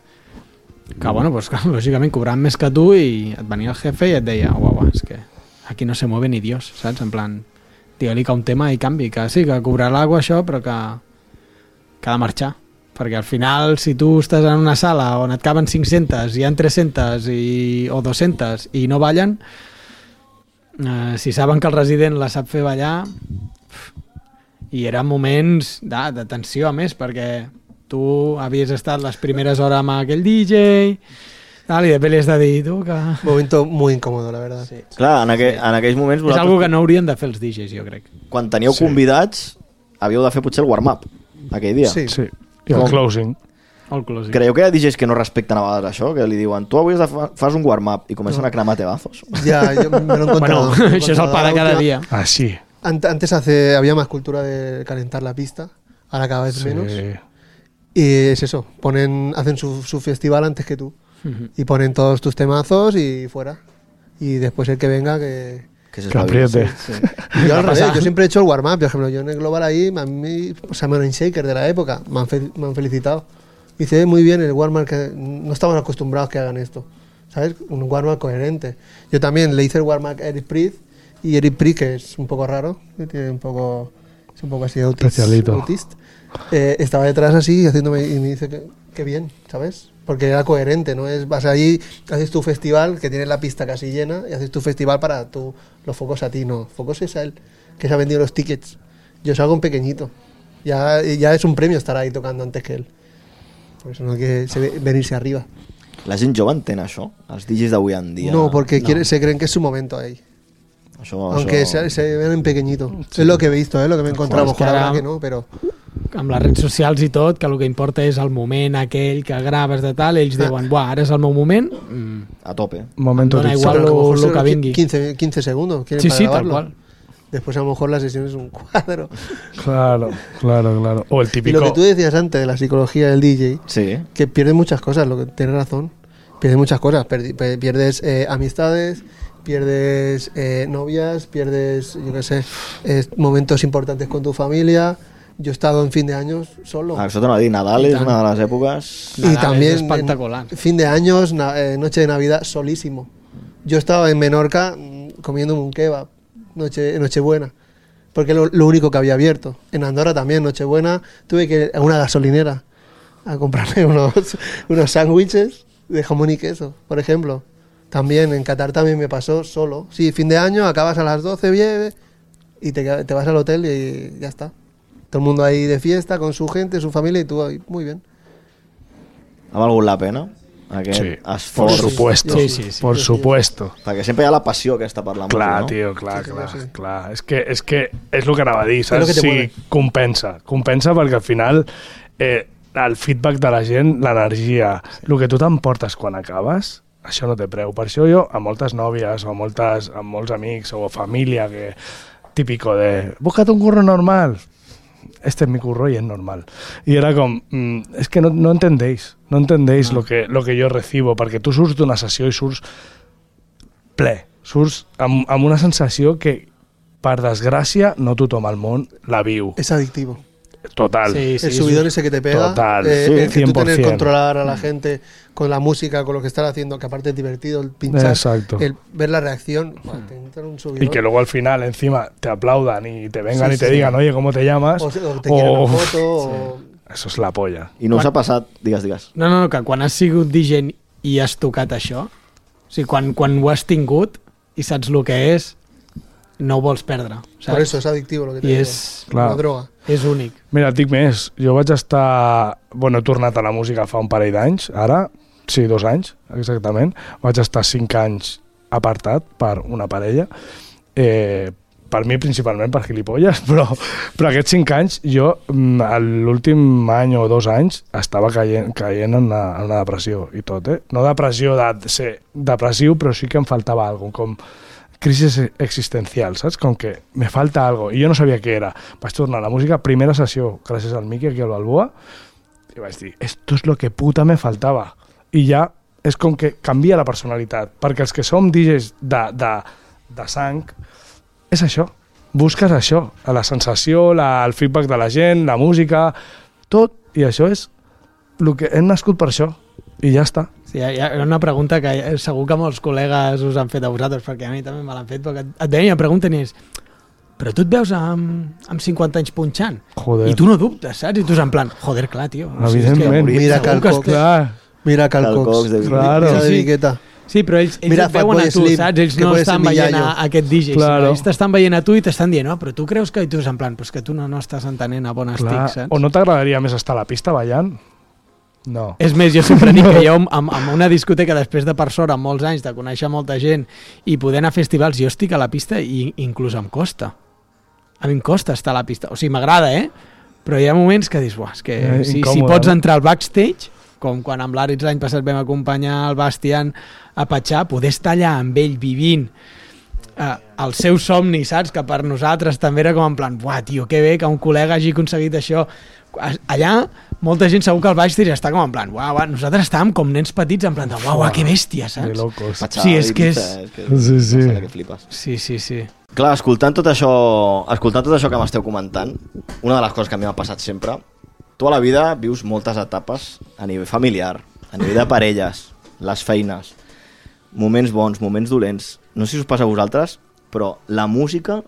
que bueno, pues, lògicament cobraven més que tu i et venia el jefe i et deia, uau, és que aquí no se mueve ni Dios, saps? En plan, digue-li que un tema i canvi, que sí, que cobrarà alguna això, però que ha de marxar. Perquè al final, si tu estàs en una sala on et caben 500, hi ha 300 o 200 i no ballen, si saben que el resident la sap fer ballar, i eren moments de tensió a més, perquè tu havies estat les primeres hores amb aquell DJ, i després li has de dir tu que... Momento muy incòmodo, la verdad. Sí. Clar, en aquells moments... És algo que no haurien de fer els DJs, jo crec. Quan teníeu convidats, havíeu de fer potser el warm-up aquell dia. Sí. I el closing. Creieu que hi ha DJs que no respecten a vegades això? Que li diuen, tu avui fas un warm-up i comencen a cremar tebazos. Ya, yo me lo he encontrado. Bueno, això és el pa de cada dia. Ah, sí. Antes había más cultura de calentar la pista, ahora cada vez menos. Y es eso, hacen su festival antes que tú. Y ponen todos tus temazos y fuera. Y después el que venga que apriete. Sí. Yo al revés, yo siempre he hecho el warm-up. Por ejemplo, yo en el Global ahí, a mí, Samuel Shaker de la época, me han felicitado. Dice, muy bien el warm-up, que no estamos acostumbrados que hagan esto. ¿Sabes? Un warm-up coherente. Yo también le hice el warm-up a Eric Priest, y Eric Priest, que es un poco raro, que tiene es un poco así autista. Estaba detrás así haciéndome, y me dice que bien, ¿sabes? Porque era coherente, ¿no? Vas allí, haces tu festival, que tienes la pista casi llena, y haces tu festival para los focos a ti, no. Focos es a él, que se ha vendido los tickets. Yo salgo un pequeñito. Ya es un premio estar ahí tocando antes que él. Por eso no hay que venirse arriba. La gent jove entén això? Els DJs d'avui en dia? No, porque se creen que es su momento ahí. Aunque se ven en pequeñito. Sí. Es lo que he visto, lo que me he encontrado. Mejor ahora que no, pero... Amb les redes socials i tot, que el que importa és el moment aquell que graves de tal, ells diuen, buah, ara és el meu moment. A tope. Momento dona igual lo que vingui. 15 segundos. Sí, sí, tal cual. Después a lo mejor la sesión es un cuadro. Claro. O el típico... Y lo que tú decías antes de la psicología del DJ, sí, que pierde muchas cosas, lo que tienes razón. Pierdes muchas cosas. Pierdes amistades, pierdes novias, pierdes, yo qué sé, momentos importantes con tu familia. Yo he estado en fin de años solo. Això t'ho anava a dir, Nadal és una de les èpoques... Y también espectacular. Fin de años, noche de Navidad, solísimo. Yo estaba en Menorca comiéndome un kebab, Nochebuena, porque es lo único que había abierto. En Andorra también, Nochebuena, tuve que ir a una gasolinera a comprarme unos sándwiches de jamón y queso, por ejemplo. También en Qatar también me pasó solo. Sí, fin de año, acabas a las 12, bien, y te vas al hotel y ya está. Todo el mundo ahí de fiesta, con su gente, su familia, y tú ahí, muy bien. Ha valgut la pena? Aquest esforç? Por supuesto, sí. por supuesto. Perquè sempre hi ha la passió aquesta per la música, clar, no? Tio, clar. És que és el que anava a dir, saps? Sí, compensa perquè al final el feedback de la gent, l'energia, el que tu t'emportes quan acabes, això no té preu. Per això jo, a moltes nòvies o a molts amics o família, que típico de búscate un curro normal, este es mi curro y es normal. Y era com, es que no entendéis lo que yo recibo, perquè tu surts d'una sessió i surts ple, surts amb una sensació que, per desgràcia, no tothom al món la viu. Es adictivo. Total. Sí, el subidón ese que te pega, total, el que 100%. tú tienes que controlar a la gente con la música, con lo que están haciendo, que aparte es divertido, el pinchar, exacto, el ver la reacción, te entra un subidón. Y que luego al final encima te aplaudan y te vengan y te digan, oye, ¿cómo te llamas? O te quieren una foto. Eso es la polla. I no us ha passat, digues. No, que quan has sigut DJ i has tocat això, o sigui, quan ho has tingut i saps el que és, no ho vols perdre. Saps? Por eso es adictivo lo que te digo. Clar, la droga. És únic. Mira, et dic més, jo vaig estar... Bueno, he tornat a la música fa un parell d'anys, ara, sí, 2 anys, exactament. Vaig estar 5 anys apartat per una parella, per mi principalment per gilipolles, però aquests 5 anys jo, l'últim any o 2 anys, estava caient en una depressió i tot, No depressió de ser depressiu, però sí que em faltava alguna cosa, com crisis existencial, saps? Com que me falta algo, i jo no sabia què era. Vaig tornar a la música, primera sessió, gràcies al Miqui aquí al Balboa, i vaig dir, esto es lo que puta me faltava. I ja és com que canvia la personalitat, perquè els que som DJs de sang, és això, busques això, la sensació, el feedback de la gent, la música, tot, i això és el que hem nascut per això, i ja està. Sí, hi ha una pregunta que segur que molts col·legues us han fet a vosaltres, perquè a mi també me l'han fet, perquè et veien i em pregunten i és, però tu et veus amb 50 anys punxant? Joder. I tu no dubtes, saps? I tu és en plan, joder, clar, tio. Evidentment. Mira Cal Cox. Mira Cal Cox. Claro. Esa dediqueta. Sí, però ells et veuen a tu, saps? Ells no estan veient a aquest DJ, claro. Ells t'estan veient a tu i t'estan dient, no, però tu creus que... I tu és en plan, però és que tu no estàs entenent a bon estic, saps? O no t'agradaria més estar a la pista ballant? No. És més, jo sempre dic que jo amb una discoteca després de per sort, amb molts anys, de conèixer molta gent i poder anar a festivals, jo estic a la pista i inclús em costa. A mi em costa estar a la pista. O sigui, m'agrada, però hi ha moments que dius, és que si pots entrar al backstage, com quan amb l'Àrids l'any passat vam acompanyar el Bastian a Patxà, poder estar allà amb ell vivint el seu somni, saps? Que per nosaltres també era com en plan, tio, que bé que un col·lega hagi aconseguit això. Allà, molta gent segur que al backstage està com en plan, nosaltres estàvem com nens petits en plan, que bèstia, saps? Que locos. Sí, és que és... Sí. Clar, escoltant tot això que m'esteu comentant, una de les coses que a mi m'ha passat sempre, tu a la vida vius moltes etapes a nivell familiar, a nivell de parelles, les feines, moments bons, moments dolents. No sé si us passa a vosaltres, però la música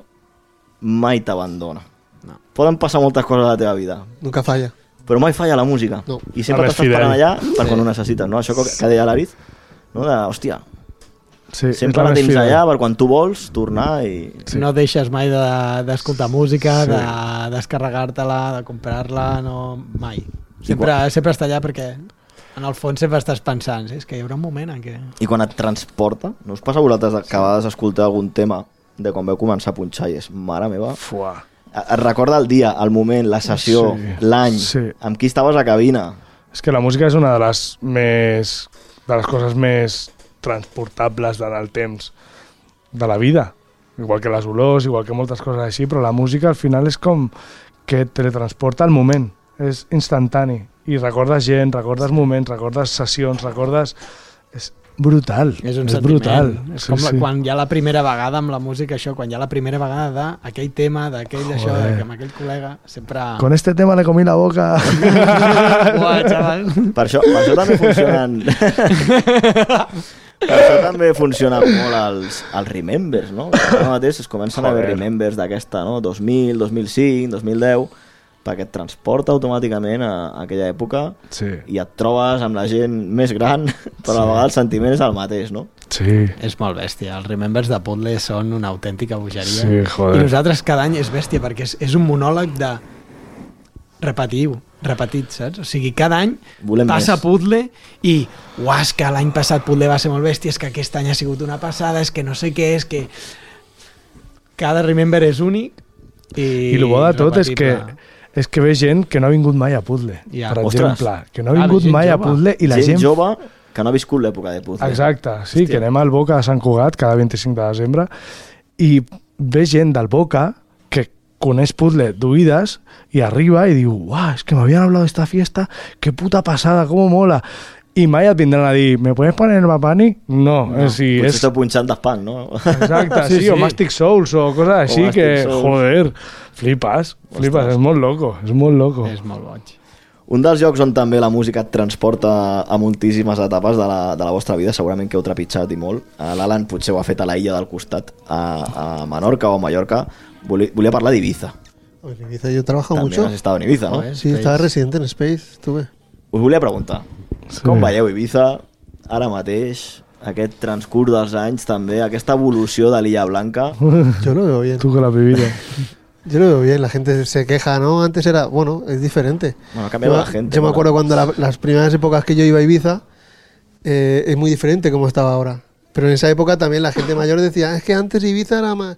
mai t'abandona. No. Poden passar moltes coses a la teva vida. Nunca falla. Però mai falla la música. No. I sempre t'estàs parant allà per quan ho necessites, no? Això que deia l'Ariz, no? Hòstia, sempre la tens allà per quan tu vols tornar i... No deixes mai d'escoltar música, de descarregar-te-la, de comprar-la, no, mai. Sempre està allà perquè... en el fons sempre estàs pensant, és que hi haurà un moment en què... I quan et transporta, no us passa a vosaltres que a vegades escoltar algun tema de quan veu començar a punxar i és, mare meva... Fuà. Et recorda el dia, el moment, la sessió, l'any, amb qui estaves a cabina. És que la música és una de les coses més transportables en el temps de la vida. Igual que les olors, igual que moltes coses així, però la música al final és com que et teletransporta al moment, és instantani i recordes gent, recordes moments, recordes sessions, recordes... És brutal, és un és brutal. És com quan hi ha la primera vegada amb la música, això, quan hi ha la primera vegada d'aquell tema, d'aquell això, que amb aquell col·lega, sempre... Con este tema le comí la boca. Uah, xaval. Per això també funcionen... Per això també funcionen molt els remembers, no? Ara mateix es comencen a haver remembers d'aquesta, no? 2000, 2005, 2010, perquè et transporta automàticament a aquella època i et trobes amb la gent més gran, però a vegades el sentiment és el mateix, no? Sí. És molt bèstia. Els remembers de Puzzle són una autèntica bogeria. Sí, joder. I nosaltres cada any és bèstia, perquè és un monòleg de repetit, saps? O sigui, cada any passa Puzzle i és que l'any passat Puzzle va ser molt bèstia, és que aquest any ha sigut una passada, és que no sé què, és que cada remember és únic i el bo de tot és que ve gent que no ha vingut mai a Puzzle, per exemple, que no ha vingut mai a Puzzle i la gent jove que no ha viscut l'època de Puzzle. Exacte, sí, que anem al Boca de Sant Cugat cada 25 de desembre i ve gent del Boca que coneix Puzzle d'oïdes i arriba i diu, es que m'havien hablado de esta fiesta, qué puta pasada, cómo mola. I mai et vindran a dir, ¿me puedes poner el Mapani? No, potser estic punxant d'espant, no? Exacte, sí, o Mastic Souls o coses així que, joder, flipes, és molt loco, és molt loco. És molt boig. Un dels llocs on també la música et transporta a moltíssimes etapes de la vostra vida, segurament que heu trepitjat i molt. L'Alan potser ho ha fet a la illa del costat, a Menorca o a Mallorca. Volia parlar d'Ibiza. En Ibiza yo trabajo mucho. También has estado en Ibiza, ¿no? Sí, estaba residente en Space, estuve. Us volia preguntar, com veieu Ibiza ara mateix, aquest transcurs dels anys també, aquesta evolució de l'Illa Blanca? Yo lo veo bien. Tú que la has vivido. Yo lo veo bien, la gente se queja, ¿no? Antes era, bueno, es diferente. Bueno, ha cambiado la gente. Yo me acuerdo cuando las primeras épocas que yo iba a Ibiza, es muy diferente como estaba ahora. Pero en esa época también la gente mayor decía, es que antes Ibiza era más...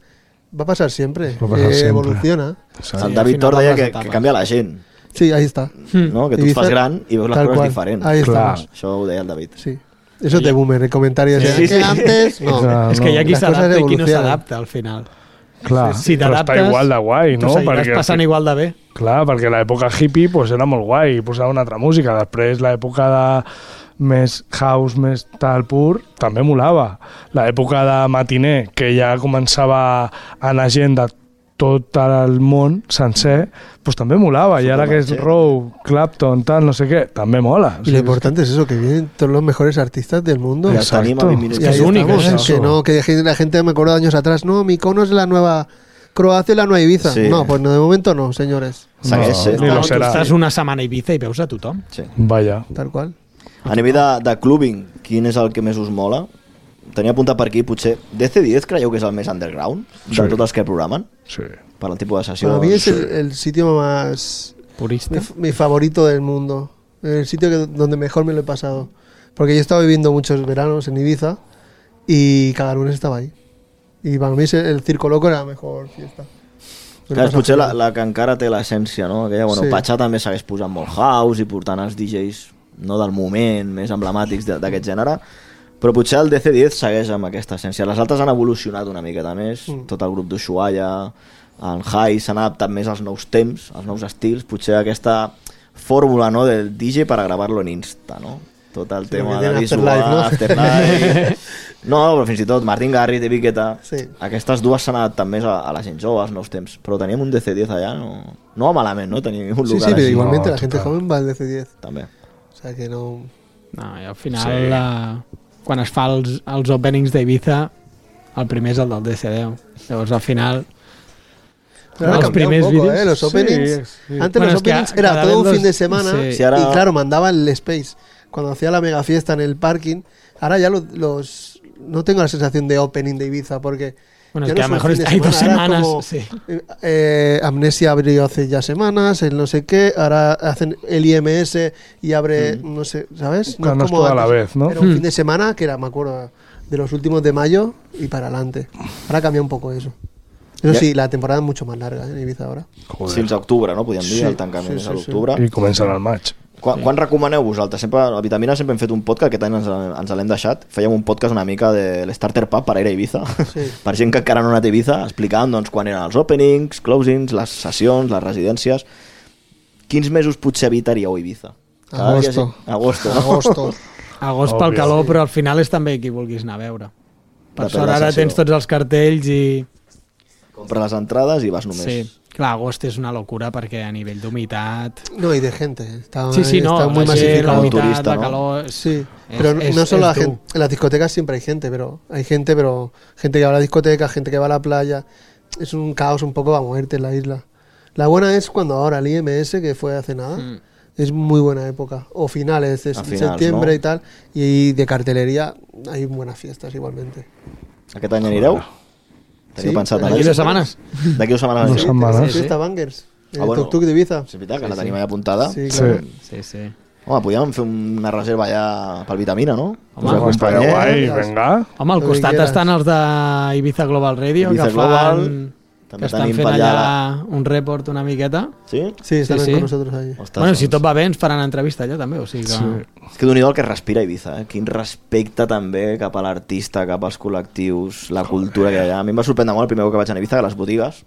Va a pasar siempre, evoluciona. El David Tor deia que canvia la gent. Sí, ahí está. No? Que tu et fas gran i veus les coses diferents. Ahí estamos. Això ho deia el David. Sí. Eso te boomer, el comentario de que antes... No. És que hi ha qui s'adapta i qui no s'adapta al final. Clar, si però està igual de guai, no? Tu seguiràs passant igual de bé. Clar, perquè l'època hippie era molt guai, posava una altra música. Després l'època de més house, més tal pur, també molava. L'època de matiner, que ja començava a anar gent de tot el món sencer, pues també molava. I ara que és Row, Clapton, tal, no sé què, també mola. Y lo importante es eso, que vienen todos los mejores artistas del mundo. Exacto. Es que es único. Que no, que la gente, me acuerdo de años atrás, no, Mykonos es la nueva Croacia y la nueva Ibiza. Sí. No, pues no, de momento no, señores. No, tu estàs una setmana a Ibiza i veus a tothom. Sí. Vaya. Tal qual. A nivell de clubbing, quin és el que més us mola? Tenia apuntat per aquí, potser DC10 creieu que és el més underground de tots els que programen? Sí. Per el tipus de sessió. Para mí es el sitio más... Purista. Mi favorito del mundo. El sitio donde mejor me lo he pasado. Porque yo he estado viviendo muchos veranos en Ibiza y cada lunes estaba ahí. Y para mí el Circo Loco era la mejor fiesta. Clar, és potser la que encara té l'essència, no? Aquella, bueno, Patxà també segueix posant molt house i portant els DJs no del moment, més emblemàtics d'aquest gènere, però potser el DC10 segueix amb aquesta essència. Les altres han evolucionat una miqueta més, tot el grup d'Ushuaia, el High s'han adaptat més als nous temps, als nous estils, potser aquesta fórmula, no, del DJ per a gravar-lo en Insta, no? Tot el tema de visual, Afterlife... No, però fins i tot Martin Garrix, David Guetta, aquestes dues s'han adaptat més a la gent jove, als nous temps, però teníem un DC10 allà, no va malament, no? Teníem un lugar sí, així. Sí, igualmente la gente joven va al DC10. També. O sea que no... No, i al final, quan es fa els openings d'Ibiza, el primer és el del DC10. Llavors, al final... Pero ahora cambió un poco, los openings. Sí. Antes bueno, los openings era todo un fin de semana y claro, mandaba el Space. Cuando hacía la mega fiesta en el parking, ahora ya los no tengo la sensación de opening de Ibiza porque Bueno, Ya es que no a lo son mejor fin de hay 2 semana, ahora semanas. es como, Sí. Amnesia abrió hace ya semanas, el no sé qué, ahora hacen el IMS y abre, no sé, ¿sabes? Claro, no es como todo a la antes. vez, ¿no? Era un fin de semana que era, me acuerdo, de los últimos de mayo y para adelante. Ahora cambia un poco eso. Eso Ja. sí, la temporada es mucho más larga en Ibiza ahora. Joder. Fins a octubre, no? Podíem dir, Sí, el tancament sí, és a sí, l'octubre. I comencen al maig. Quan recomaneu vosaltres? Sempre, a Vitamina sempre hem fet un podcast, aquest any ens l'hem deixat. Fèiem un podcast una mica de l'Starter Pub per ir a Ibiza. Sí. Per gent que encara no ha anat a Ibiza, explicant doncs, quan eren els openings, closings, les sessions, les residències. Quins mesos potser evitaríeu a Ibiza? Agosto. Agosto, no? Agosto. Agost Òbvio. pel calor, però al final és també qui vulguis anar a veure. Per Depèn sort de la ara sessió. tens tots els cartells i... Compres les entrades i vas només. Sí, clar, agost és una locura perquè a nivell d'humitat... No, y de gente. Está, Sí, no, está muy la gent, la masificado. humitat, turista, la ¿no? calor... Sí, Es- pero es- no solo es la dur. gente. En las discotecas siempre hay gente, pero gente que va a la discoteca, gente que va a la playa. Es un caos un poco a moverte en la isla. La buena es cuando ahora el IMS, que fue hace nada, es muy buena época. O finales de A finals, septiembre ¿no? y tal. Y de cartelería hay buenas fiestas igualmente. Aquest any anireu? Teniu Sí, pensat d'aquí anar-hi? D'aquí 2 setmanes. D'aquí 2 setmanes. Dos anireu? setmanes. Sí, fiesta Bangers. El Ah, bueno. tuk-tuk de Ibiza. És veritat que la tenim allà apuntada. Sí, Sí. claro. Sí, sí. Home, podríem fer una reserva allà pel Vitamina, no? Home, Us Home, estaria acompanyem. guai, las- venga. Home, al Lo que costat quieras. estan els de Ibiza Global Radio, Ibiza que fan... Global. Que També estan tenim fent per allà allà un report una miqueta. Sí? Sí, están Sí, sí. con nosotros ahí. Ostres, Bueno, si doncs. tot va bé ens faran entrevista allà també, o sigui que... Sí. És que d'un el que respira Ibiza, eh? Quin respecte també cap a l'artista, cap als col·lectius, la cultura que hi ha allà. A mi em va sorprendre molt el primer cop que vaig anar a Ibiza, que les botigues,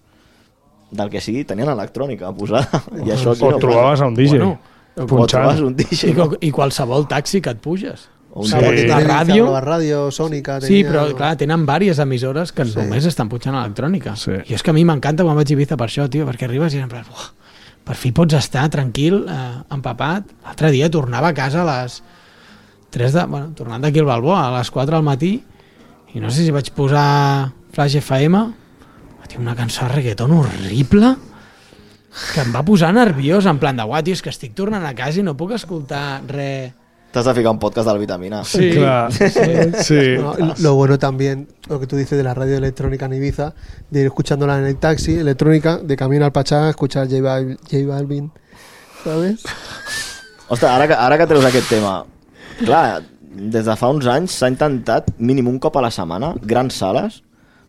del que sigui, tenien electrònica posada. I això aquí O no trobaves a un DJ. Bueno, O punxant. trobes un DJ. I qualsevol taxi que et puges. O un Sí. Porque DJ. La tienen ràdio- la radio sónica. Sí, tenía, però ¿no? clar, tenen diverses emissores que només estan pujant electrònica. Sí. I és que a mi m'encanta quan vaig a Ibiza per això, tio, perquè arribes i en plan, "Uah, per fi pots estar tranquil, empapat. L'altre dia tornava a casa a les 3 de... Bueno, tornant d'aquí al Balboa, a les 4 del matí, i no sé si vaig posar Flash FM, tio, una cançó de reggaeton horrible, que em va posar nerviós, en plan de, uah, tio, és que estic tornant a casa i no puc escoltar res... T'has de ficar un podcast del Vitamina. Sí. Clar. Sí. No, lo bueno también, lo que tú dices de la radio electrónica en Ibiza, de ir escuchándola en el taxi, electrónica, de camino al Pachá, escuchar J Balvin, ¿sabes? Ostres, ara que treus aquest tema, clar, des de fa uns anys s'ha intentat mínim un cop a la setmana, grans sales,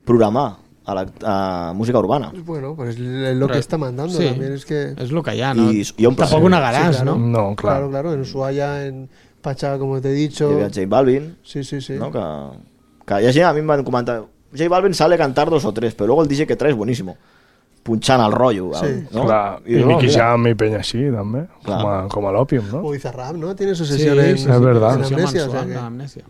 programar a música urbana. Bueno, pues es lo que está mandando Sí. también, es que... És el que hi ha, no? I hi ha un Tampoc ho negaràs, Sí, claro. no? No, clar. Claro, claro, en Ushuaia, en Pachá, como te he Hi dicho. havia J Balvin, Sí, sí, sí. ¿no? Que hi ha gent, a mi em van comentar, J Balvin sale a cantar 2 o 3, pero luego el DJ que trae es buenísimo. Punxant el rotllo. Sí. ¿no? Clar. I no, Nicky mira, Jam i penya així, també. Clar. Com a l'Òpium, no? O Bizarrap, ¿no? Tiene su Sí, sesión en, sí, es verdad. en Sessió Amnesia, o sea mensual que- d'Amnèsia.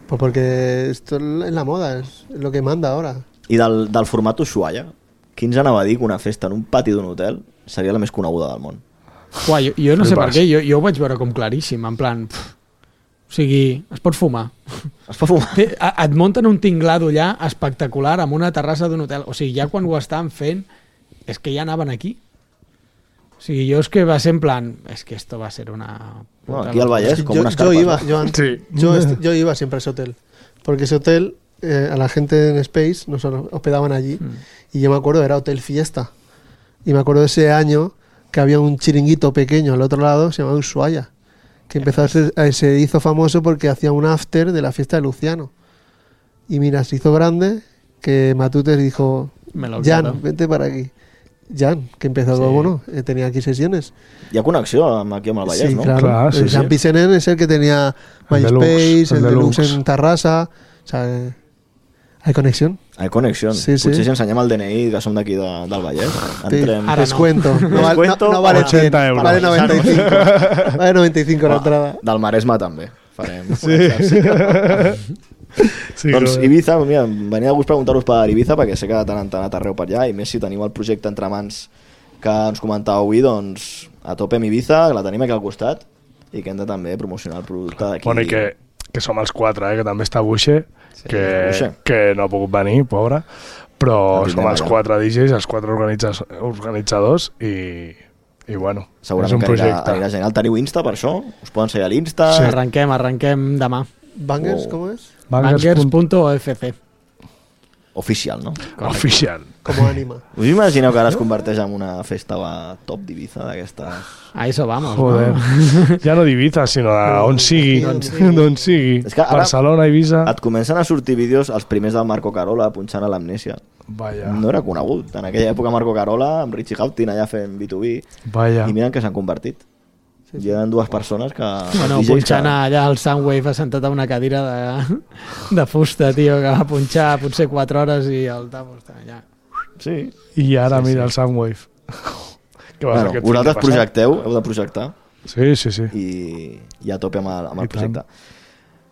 Pues porque esto es la moda, es lo que manda ahora. I del format Ushuaia, qui ens anava a dir que una festa en un pati d'un hotel seria la més coneguda del món? Uà, jo no sé per Flipes. què, jo ho vaig veure com claríssim, en plan... o sigui, es pot fumar. Es pot fumar? Et munten un tinglado allà espectacular amb una terrassa d'un hotel. O sigui, ja quan ho estaven fent, és que ja anaven aquí. O sigui, jo és que va ser en plan... És que esto va a ser una... No, aquí al Vallès, com unes yo carpes. iba, no? Sí. yo iba siempre a ese hotel. Porque ese hotel, a la gente en Space nos hospedaban allí. Y yo me acuerdo, era Hotel Fiesta. Y me acuerdo de ese año que había un chiringuito pequeño al otro lado, se llamaba Ushuaia. Que empezó se hizo famoso porque hacía un after de la fiesta de Luciano. Y mira, se hizo grande que Matutes dijo, Me lo Jan, quedo. vente para aquí. Jan, que empezó, Sí. bueno, tenía aquí sesiones. Hi ha connexió aquí amb el Vallès, Sí, no? claro. Clar, sí, Jean sí. Pisenen es el que tenía El MySpace, Deluxe, el el Deluxe Deluxe. en Tarrasa. O sea, hay conexión. Hay connexió. Sí, sí. Potser si ensenyem el DNI que som d'aquí del Vallès. Sí, Entrem... Ara no. descuento. No, Descuento, no vale 80 100, euros. vale 95. Vale 95 la entrada. Del Maresme també. Farem. Sí, Doncs clar. Ibiza, mira, venia de gust preguntar-vos per Ibiza perquè sé que de tant en tant arreu per allà i més si teniu el projecte entre mans que ens comentàveu avui, doncs a tope amb Ibiza, que la tenim aquí al costat i que hem de també promocionar el producte d'aquí. Bueno, i que som els 4, que també està Buixe, Buixe. que no ha pogut venir, pobre, però El som els tindrem 4 DJs, els 4 organitzadors i bueno, és Segurament un que projecte. anirà gent. El teniu Insta per això? Us poden seguir a l'Insta? Sí. Arrenquem demà. Bangers, Oh. ¿cómo es? Bangers. Bangers.ofc. oficial, no? Oficial. Com a ànima. Us imagineu que ara es converteix en una festa top d'Ibiza d'aquestes... A eso vamos, Joder. no? Ja no d'Ibiza, sinó d'on sigui. D'on sigui. És que ara Barcelona, Ibiza... et comencen a sortir vídeos, els primers del Marco Carola, punxant a l'Amnèsia. Vaya. No era conegut. En aquella època Marco Carola, amb Richie Houghton allà fent B2B, Vaya. i miren que s'han convertit. Hi eren dues persones que... Bueno, DJs punxant allà el Soundwave assentat a una cadira de fusta, tio, que va punxar potser 4 hores i el Tamo està allà. Sí. I ara mira el Soundwave. Què va Bueno, vosaltres projecteu, heu de projectar, Sí, sí, sí. i a tope amb el I projecte.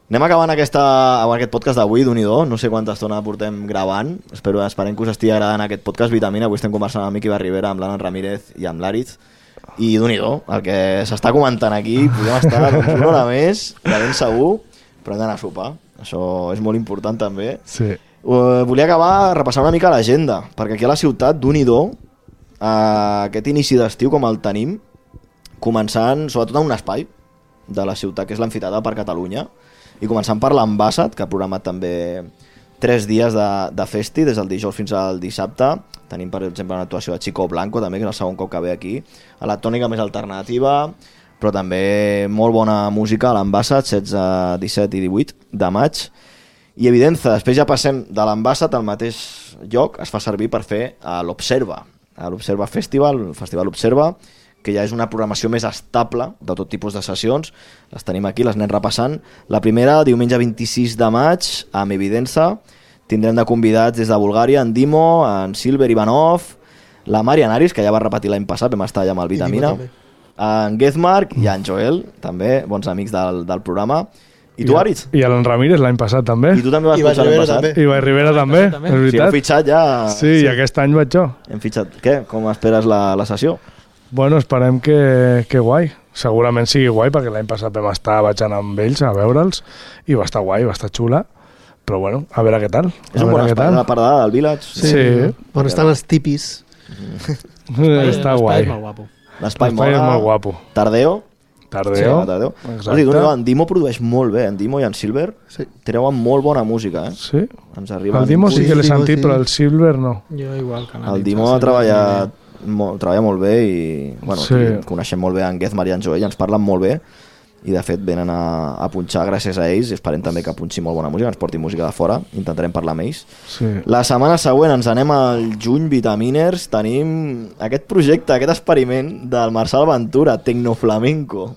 Anem acabant amb aquest podcast d'avui, d'un-i-do. No sé quanta estona portem gravant. Esperem que us estigui agradant aquest podcast Vitamina. Avui estem conversant amb Miqui Barribera, amb l'Alan Ramírez i amb l'Àriz. I d'un-i-do, el que s'està comentant aquí, podem estar doncs, una hora més, de ben segur, però hem d'anar a sopar. Això és molt important també. Sí. Volia acabar repassant una mica l'agenda, perquè aquí a la ciutat, d'un-i-do, aquest inici d'estiu com el tenim, començant sobretot en un espai de la ciutat, que és l'Amfiteatre per Catalunya, i començant per l'Ambassat, que ha programat també 3 dies de festi, des del dijous fins al dissabte. Tenim, per exemple, una actuació de Chico Blanco, també, que és el segon cop que ve aquí. Electrònica més alternativa, però també molt bona música a l'Ambassat, 16, 17 i 18 de maig. I Evidenza, després ja passem de l'Ambassat al mateix lloc, es fa servir per fer a l'Observa, a l'Observa Festival, el Festival Observa, que ja és una programació més estable de tot tipus de sessions. Les tenim aquí, les anem repassant. La primera, diumenge 26 de maig, amb Evidenza. Tindrem de convidats des de Bulgària en Dimo, en Silver Ivanov, la Marian Aris, que ja va repetir l'any passat, vam estar allà amb el Vitamina, en Gezmark i en Joel, també, bons amics del programa. I tu, Aritz? I l'en Ramírez l'any passat també. I tu també vas punxar l'any passat? I Ibai Rivera també, és Sí, heu veritat. fitxat ja... Sí, i aquest any vaig jo. Hem fitxat. Què? Com esperes la sessió? Bueno, esperem que guai. Segurament sigui guai, perquè l'any passat vam estar, vaig anar amb ells a veure'ls, i va estar guai, va estar xula. Però bueno, a veure què tal. És un bon espai, la pardada del Village. Sí. On estan els tipis. Està guai. És molt guapo. L'espai L'espai és molt guapo. Tardeo. Tardeo. Sí, Tardeo. Exacte. En Dimo produeix molt bé, en Dimo i en Silver treuen molt bona música, eh? Sí. Ens arriben... El Dimo sí que l'he Dimo, sentit, sí. però el Silver no. Jo igual que El Dimo ha treballat treballa molt bé i bueno, Sí. coneixem molt bé en Gezmar i en Joel i ens parlen molt bé i de fet venen a punxar gràcies a ells i esperem també que punxi molt bona música, ens porti música de fora, intentarem parlar amb ells. Sí. La setmana següent ens anem al juny Vitaminers, tenim aquest projecte, aquest experiment del Marçal Ventura, Tecnoflamenco.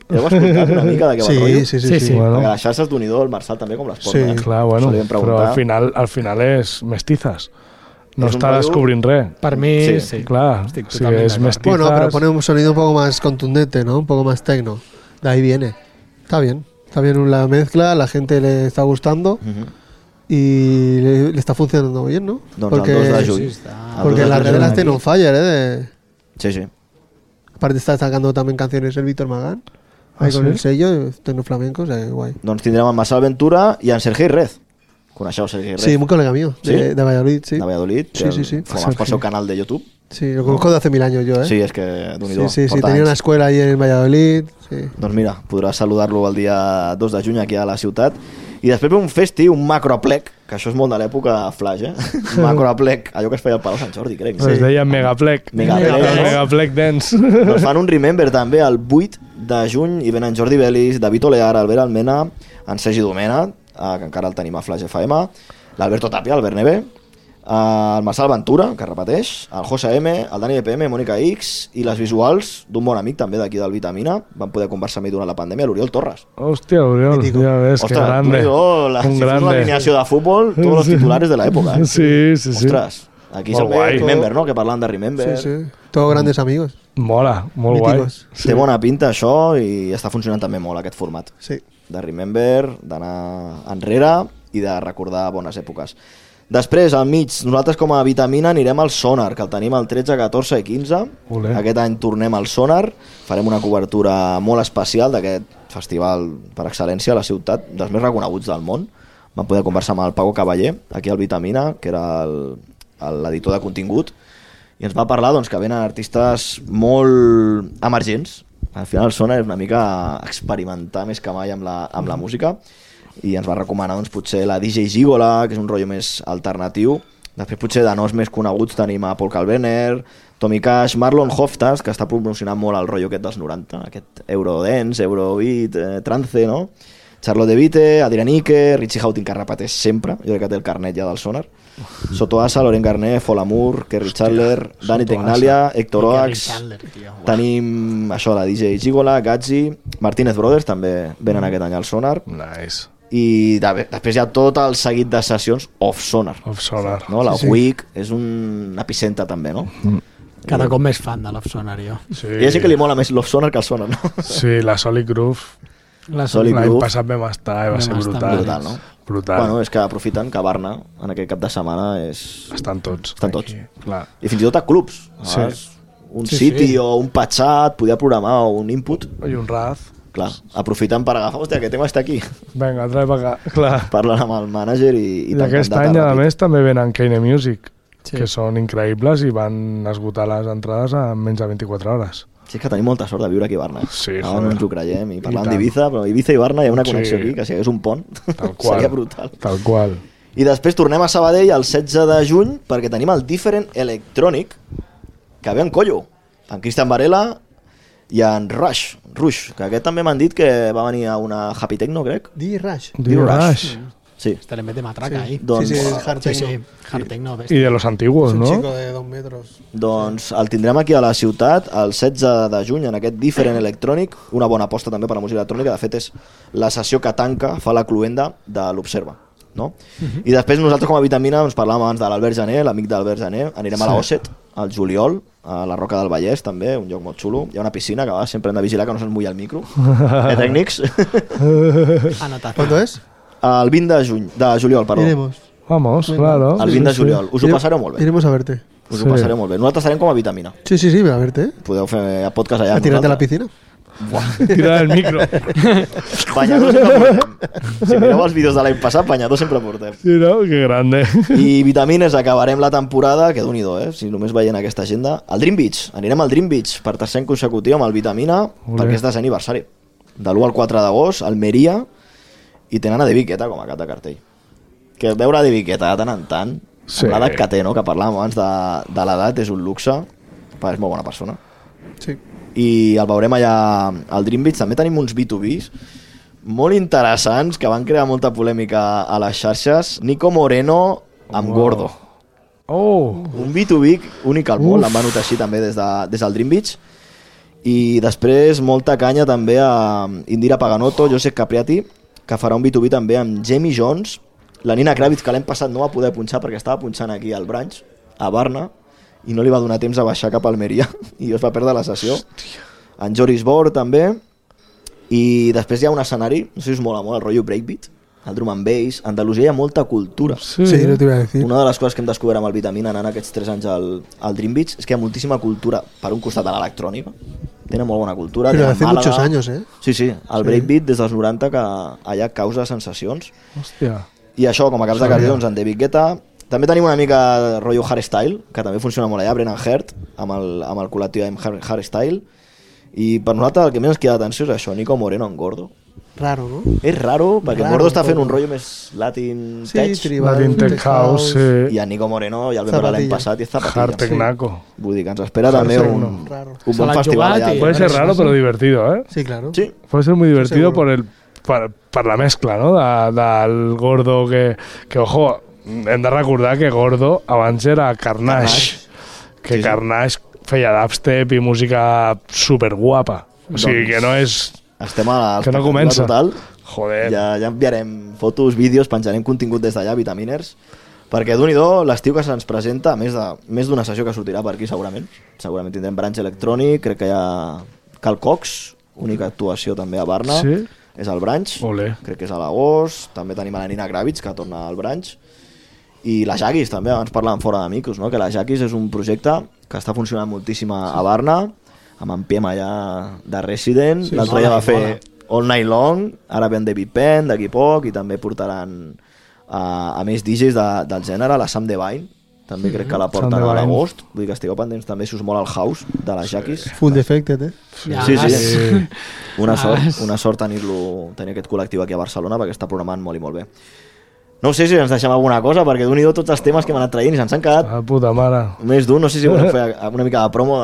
Heu escoltat una mica de què va el rotllo? Sí. Bueno, Perquè les xarxes d'unidor, el Marçal també com les porta. Sí. clar, bueno, Això li vam però preguntar. al final és mestizas. No És un està rotllo- descobrint res. Per mi, Sí. sí. Claro, Estic si totalment es d'acord. mestizas... Bueno, pero pone un sonido un poco más contundente, ¿no? Un poco más tecno. De ahí viene. Está bien la mezcla, la gente le está gustando y le está funcionando bien, ¿no? Doncs el 2 de juny. Porque El 2 la de red juny de las aquí. Ten on Fire, Sí, sí. Aparte está sacando también canciones el Víctor Magán. Ahí ¿Ah, con sí? el sello, Tecno Flamenco, o sea, guay. Doncs tindrem en Marçal Ventura i en Sergi Rez. Coneixeu Sergi Rez? Sí, muy colega mío, ¿Sí? de Valladolid, sí. De Valladolid. Sí. Formas pel seu canal de YouTube. Sí, lo conozco de hace 1000 años yo, ¿eh? Sí, és que d'un sí, tenía una escuela ahí en Valladolid, sí. Doncs mira, podràs saludar-lo el dia 2 de juny aquí a la ciutat. I després ve un festi, un macroaplec, que això és molt de l'època flash, eh? Macroaplec, allò que es feia al Palau Sant Jordi, crec. Es deia Megaplec. Megaplec Dance. Doncs fan un Remember també el 8 de juny i venen Jordi Belis, David Olear, Albert Almena, en Sergi Domena, que encara el tenim a Flash FM, l'Alberto Tapia, Albert Neve, el Marçal Ventura, que repeteix, el José M, el Dani EPM, Mònica X i les visuals d'un bon amic també d'aquí del Vitamina. Van poder conversar amb ell durant la pandèmia, l'Oriol Torres. Hostia, Oriol, Mítico. ya ves, qué grande. si fos una alineació de futbol, tots los titulares de l'època. Sí, sí, sí. Ostres, aquí Molt se'l guai. ve Remember, no? Que parlant de Remember. Sí, sí. Todos grandes amigos. Mola, molt guai. Míticos. Té bona pinta això i està funcionant també molt aquest format. Sí. De Remember, d'anar enrere i de recordar bones èpoques. Després, al mig, nosaltres com a Vitamina anirem al Sonar, que el tenim el 13, 14 i 15. Olé. Aquest any tornem al Sonar, farem una cobertura molt especial d'aquest festival per excel·lència a la ciutat, dels més reconeguts del món. Vam poder conversar amb el Paco Cavaller, aquí al Vitamina, que era l'editor de contingut, i ens va parlar doncs, que venen artistes molt emergents. Al final el Sonar és una mica experimentar més que mai amb la música. i ens va recomanar doncs, potser la DJ Gigola, que és un rotllo més alternatiu. Després potser de noms més coneguts tenim a Paul Kalkbrenner, Tommy Cash, Marlon Hofstad, que està promocionant molt el rotllo aquest dels 90, aquest Eurodance, Eurobeat, trance, no? Charlotte de Vite, Adrian Ike, Richie Houghton, que repeteix sempre, jo crec que té el carnet ja del Sonar, Soto Asa, Laurent Garnet, Folamur, Kerry Chandler, Dani Tegnalia, Héctor Oax, tenim això, la DJ Gigola, Gazzi, Martínez Brothers també venen aquest any al Sonar. Nice. I després hi ha tot el seguit de sessions off-Sonar. Off-Sonar. No? La WIC és un epicentre també, no? Cada cop més fan de l'Off-Sonar, jo. Sí. I ja sé que li mola més l'off-Sonar que el Sonar, no? Sí, la Solid Groove. Solid L'any Groove. passat vam estar i va ser brutal. Brutal, no? Brutal. Bueno, és que aprofiten que Barna en aquest cap de setmana és... Estan tots. Estan tots. Aquí, clar. I fins i tot a clubs. Sí. Un City o un Patxat podia programar un input. I un Raz. Clar, aprofiten per agafar, hòstia, aquest tema està aquí. Vinga, trae per acá. Clar. Parlen amb el mànager i aquest any, a més, també venen Kane Music, Sí. que són increïbles i van esgotar les entrades en menys de 24 hores. Sí, és que tenim molta sort de viure aquí a Barna. Sí, Ara joder. no ens ho creiem. I parlant tant. d'Ibiza, però Ibiza i Barna hi ha una connexió Sí. aquí, que si hi hagués un pont Tal qual. seria brutal. Tal qual. I després tornem a Sabadell el 16 de juny perquè tenim el Different Electronic, que ve en collo, en Cristian Varela i en Rush, que aquest també m'han dit que va venir a una Happy Techno, crec. D-Rush. D-Rush. Sí. Este le mete matraca ahí. Doncs, Sí, es hard Sí, techno. sí, hard techno. I de los antiguos, Es un no? chico de 2 metros. doncs el tindrem aquí a la ciutat el 16 de juny en aquest Different Electronic, una bona aposta també per a música electrònica, de fet és la sessió que tanca, fa la cluenda de l'Observa, no? I després nosaltres com a Vitamina ens parlàvem abans de l'Albert Jané, l'amic d'Albert Jané, anirem a la Osset, al juliol, a la Roca del Vallès també, un lloc molt xulo, hi ha una piscina que sempre hem de vigilar que no se'ns mulli el micro, tècnics. Anotación. ¿Cuándo es? El 20 de juliol, perdó. Iremos. Vamos, claro. El 20 de juliol. Us ho passareu molt bé. Iremos a verte. Us ho passareu molt bé. Nosaltres estarem com a Vitamina. Sí, sí, sí, a verte, ¿eh? Podeu fer a podcast allà A amb tirarte a la nosaltres. piscina. Tira del micro. Banyador sempre portem. Si mireu els vídeos de l'any passat, banyador sempre portem. Sí, no? Que grande. I Vitamines, acabarem la temporada, que déu-n'hi-do, si només veient aquesta agenda. Al Dream Beach, anirem al Dream Beach per tercer any consecutiu amb el Vitamina, perquè és desè aniversari. De l'1 al 4 d'agost, Almeria, i tenen a De Viqueta com a cap de cartell. Que veure De Viqueta de tant en tant, Sí. amb l'edat que té, no? Que parlàvem abans de l'edat, és un luxe, però és molt bona persona. Sí. I el veurem allà al Dream Beach. També tenim uns B2Bs molt interessants que van crear molta polèmica a les xarxes. Nico Moreno amb Gordo. Oh, Un B2B únic al món, l'han venut així també des del Dream Beach. I després molta canya també a Indira Paganotto, Josep Capriati, que farà un B2B també amb Jamie Jones, la Nina Kravitz, que l'any passat no va poder punxar perquè estava punxant aquí al Branch, a Barna, i no li va donar temps a baixar cap a Almeria i es va perdre la sessió. En Joris Bor també. I després hi ha un escenari, no sé si us mola molt, el rotllo breakbeat, el drum and bass. A Andalusia hi ha molta cultura. sí. Sí, no te iba a decir. Una de les coses que hem descobert amb el Vitamina anant aquests 3 anys al Dream Beach és que hi ha moltíssima cultura per un costat de l'electrònica. Tenen molt bona cultura. Pero tenen hace Màlaga. muchos años, ¿eh? Sí, sí, el breakbeat des dels 90 que allà causa sensacions. Hòstia. I això, com a caps de cartell, doncs en David Guetta. També tenim una mica de rotllo hardstyle, que també funciona molt allà, Brennan Heart, amb el col·lectiu hardstyle. I per nosaltres el que més ens queda d'atenció és això, Nico Moreno en Gordo. Raro, ¿no? És raro, perquè Raro, Gordo està fent un un poco. rotllo més latin Sí, tech, tribal, Latin Tech House, i sí. a Nico Moreno ja el vam veure l'any Zapatilla. passat i és zapatilla. Hard Tecnaco. Vull dir que ens espera també un Raro. bon Se l'han festival jugat allà. i- Puede ser raro, pero divertido, ¿eh? Sí, claro. Sí, Puede ser muy divertido seguro. per la mescla, no? Del Gordo que, ojo, hem de recordar que Gordo abans era Carnage. Que Sí, sí. Carnage feia dubstep i música superguapa. O sigui, Doncs- que no és... estem a Que no comença. total. Joder. Ja enviarem fotos, vídeos, penjarem contingut des d'allà, Vitaminers, perquè d'un l'estiu que se'ns presenta, a més d'una sessió que sortirà per aquí segurament tindrem Branch Electronic, crec que hi ha Cal Cox, única actuació també a Barna, Sí? és al Branch, Olé. crec que és a l'agost, també tenim a la Nina Kravitz que torna al Branch, i la Jaquis també, abans parlàvem fora de micros, no? Que la Jaquis és un projecte que està funcionant moltíssim a Barna, amb en Piem allà de Resident, l'altre dia va fer All Night Long, ara ve en David Penn d'aquí poc, i també portaran a més DJs del gènere, la Sam Devine, també crec que la porten a l'agost, vull dir que estigueu pendents també si us mola el house de les Jaquis. Full Defected, Sí. Una sort tenir aquest col·lectiu aquí a Barcelona perquè està programant molt i molt bé. No sé si ens deixem alguna cosa, perquè d'un-i-do tots els temes que hem anat traient i se'ns han quedat puta mare. Més d'un, no sé si volem fer una mica de promo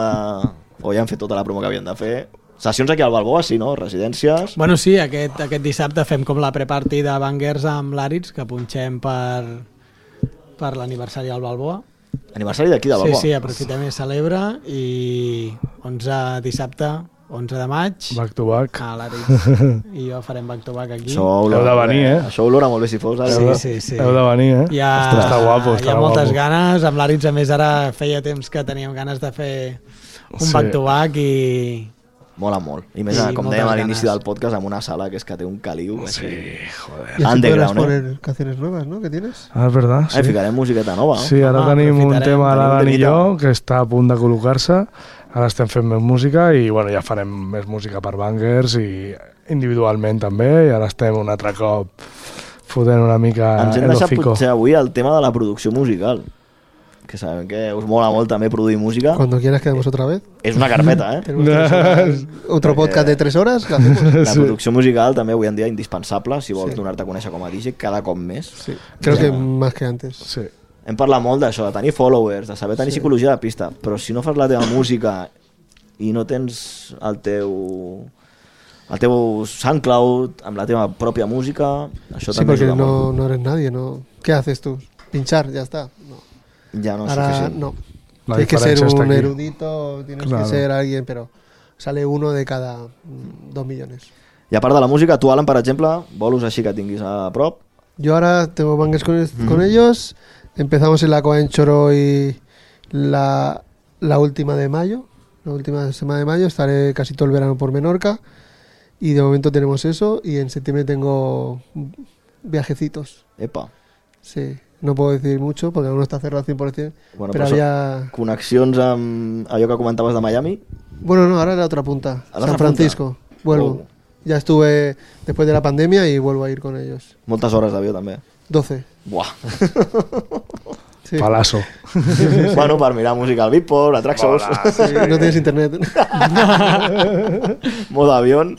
o ja han fet tota la promo que havien de fer. Sessions aquí al Balboa, sí, no? Residències. Bueno, sí, aquest dissabte fem com la pre-party de Bangers amb l'Àrids, que punxem per l'aniversari al Balboa. Aniversari d'aquí de Balboa? Sí, aprofitem i celebra, i dissabte 11 de maig back to back a l'Àrids i jo farem back to back aquí. Heu de venir, Això olora molt bé si fos. Sí. Heu de venir, està guapo. Hi ha moltes ganes, amb l'Àrids a més ara feia temps que teníem ganes de fer un back to back i... Mola molt. I més, com dèiem a l'inici del podcast, amb una sala que és que té un caliu. Sí, joder. Y así podrás poner canciones nuevas, ¿no? ¿Qué tienes? Ah, és verdad. Sí. Ficarem musiqueta nova, no? Sí, ara tenim un tema a l'Alan i jo que està a punt de col·locar-se. Ara estem fent més música i bueno, ja farem més música per Bangers i individualment també, i ara estem un altre cop fotent una mica ens hem el deixat hocico. potser avui el tema de la producció musical, que sabem que us mola molt també produir música. Cuando quieras quedamos otra vez. És una carpeta, Otro podcast de 3 horas, ¿qué hacemos? La producció musical també avui en dia indispensable si vols donar-te a conèixer com a DJ cada cop més. Sí, creo que más que antes. Sí. Hem parlat molt d'això, de tenir followers, de saber tenir psicologia de pista, però si no fas la teva música i no tens el teu SoundCloud amb la teva pròpia música, això Sí, també porque ajuda molt. no eres nadie, ¿no? ¿Qué haces tú? Pinchar, ya está. No. Ja no és Ahora suficient. no. La Tienes que ser diferència està un aquí. erudito, tienes que ser alguien, pero sale uno de cada 2 millones. I a part de la música, tu, Alan, per exemple, bolos així que tinguis a prop? Yo ahora tengo Bangers con ellos. Empezamos en la Coventure hoy la última de mayo. La última semana de mayo. Estaré casi todo el verano por Menorca. Y de momento tenemos eso. Y en septiembre tengo viajecitos. Epa. Sí. No puedo decir mucho porque aún no está cerrado al 100%. Bueno, pero había... Connexions amb allò que comentaves de Miami? Bueno, no, ahora es la otra punta. ¿A la San otra Francisco. punta? Vuelvo. Oh. Ya estuve después de la pandemia y vuelvo a ir con ellos. Moltes hores d'avió, també. 12. Buah. Sí. Palazo. Bueno, per mirar música al Beatport, a Traxxas. Sí, no tienes internet. Modo avión.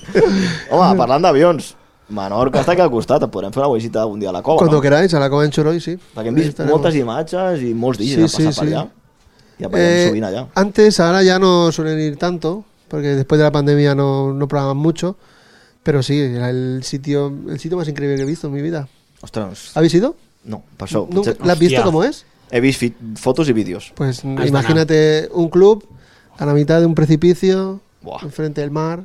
Home, parlant d'avions, Menorca està aquí al costat, et podrem fer una visita un dia a la cova, Cuando no? queráis, a la Coventure hoy, sí. Perquè hem vist moltes imatges i molts DJs han passat per allà. I apareixen sovint allà. Antes, ahora ya no suelen ir tanto, porque después de la pandemia no programan mucho, pero sí, el sitio más increíble que he visto en mi vida. Ostres, ¿Habéis ido? no, per això. ¿La has visto cómo es? He vist fotos i vídeos. Pues imagínate un club a la mitad de un precipicio, Buah. enfrente del mar,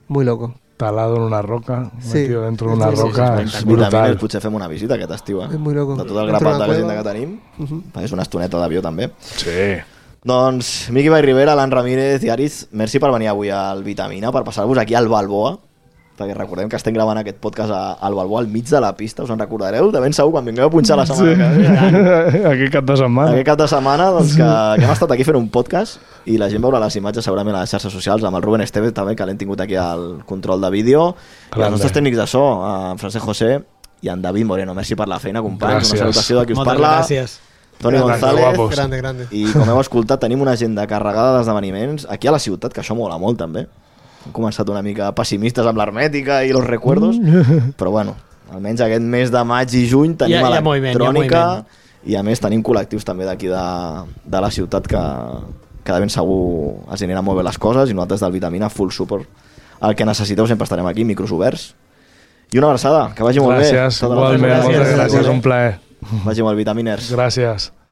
muy loco. Talado en una roca, Sí. metido dentro de una Sí, sí, roca, Els és Vitamines brutal. potser fem una visita aquest estiu, És muy loco. De tot el Dentro grapat de de la l'agenda cueva. que tenim. És una estoneta d'avió, també. Sí. Doncs, Miqui Vall Rivera, Alan Ramírez i Aritz, merci per venir avui al Vitamina, per passar-vos aquí al Balboa, perquè recordem que estem gravant aquest podcast al Balboa, al mig de la pista, us en recordareu? De ben segur, quan vingueu a punxar la setmana que ve. Aquí cap de setmana. Aquest cap de setmana, doncs, que hem estat aquí fent un podcast i la gent veurà les imatges segurament a les xarxes socials, amb el Rubén Esteve també, que l'hem tingut aquí al control de vídeo, i els nostres tècnics de so, en Francesc José i en David Moreno. Merci per la feina, companys. Gràcies. Una salutació de qui us Moltes parla. gràcies. Toni Grande, González. guapos. Grande, grande. I com heu escoltat, tenim una agenda carregada d'esdeveniments aquí a la ciutat, que això mola molt també. Hem començat una mica pessimistes amb l'hermètica i los recuerdos, però bueno, almenys aquest mes de maig i juny tenim Hi ha moviment, electrònica i a més tenim col·lectius també d'aquí de la ciutat que de ben segur els aniran molt bé les coses i nosaltres del Vitamina full support. El que necessiteu sempre estarem aquí, micros oberts. I una abraçada, que vagi molt bé. Gràcies, Tota la igualment, feina. moltes gràcies, un plaer. Vagi molt, Vitaminers. Gràcies.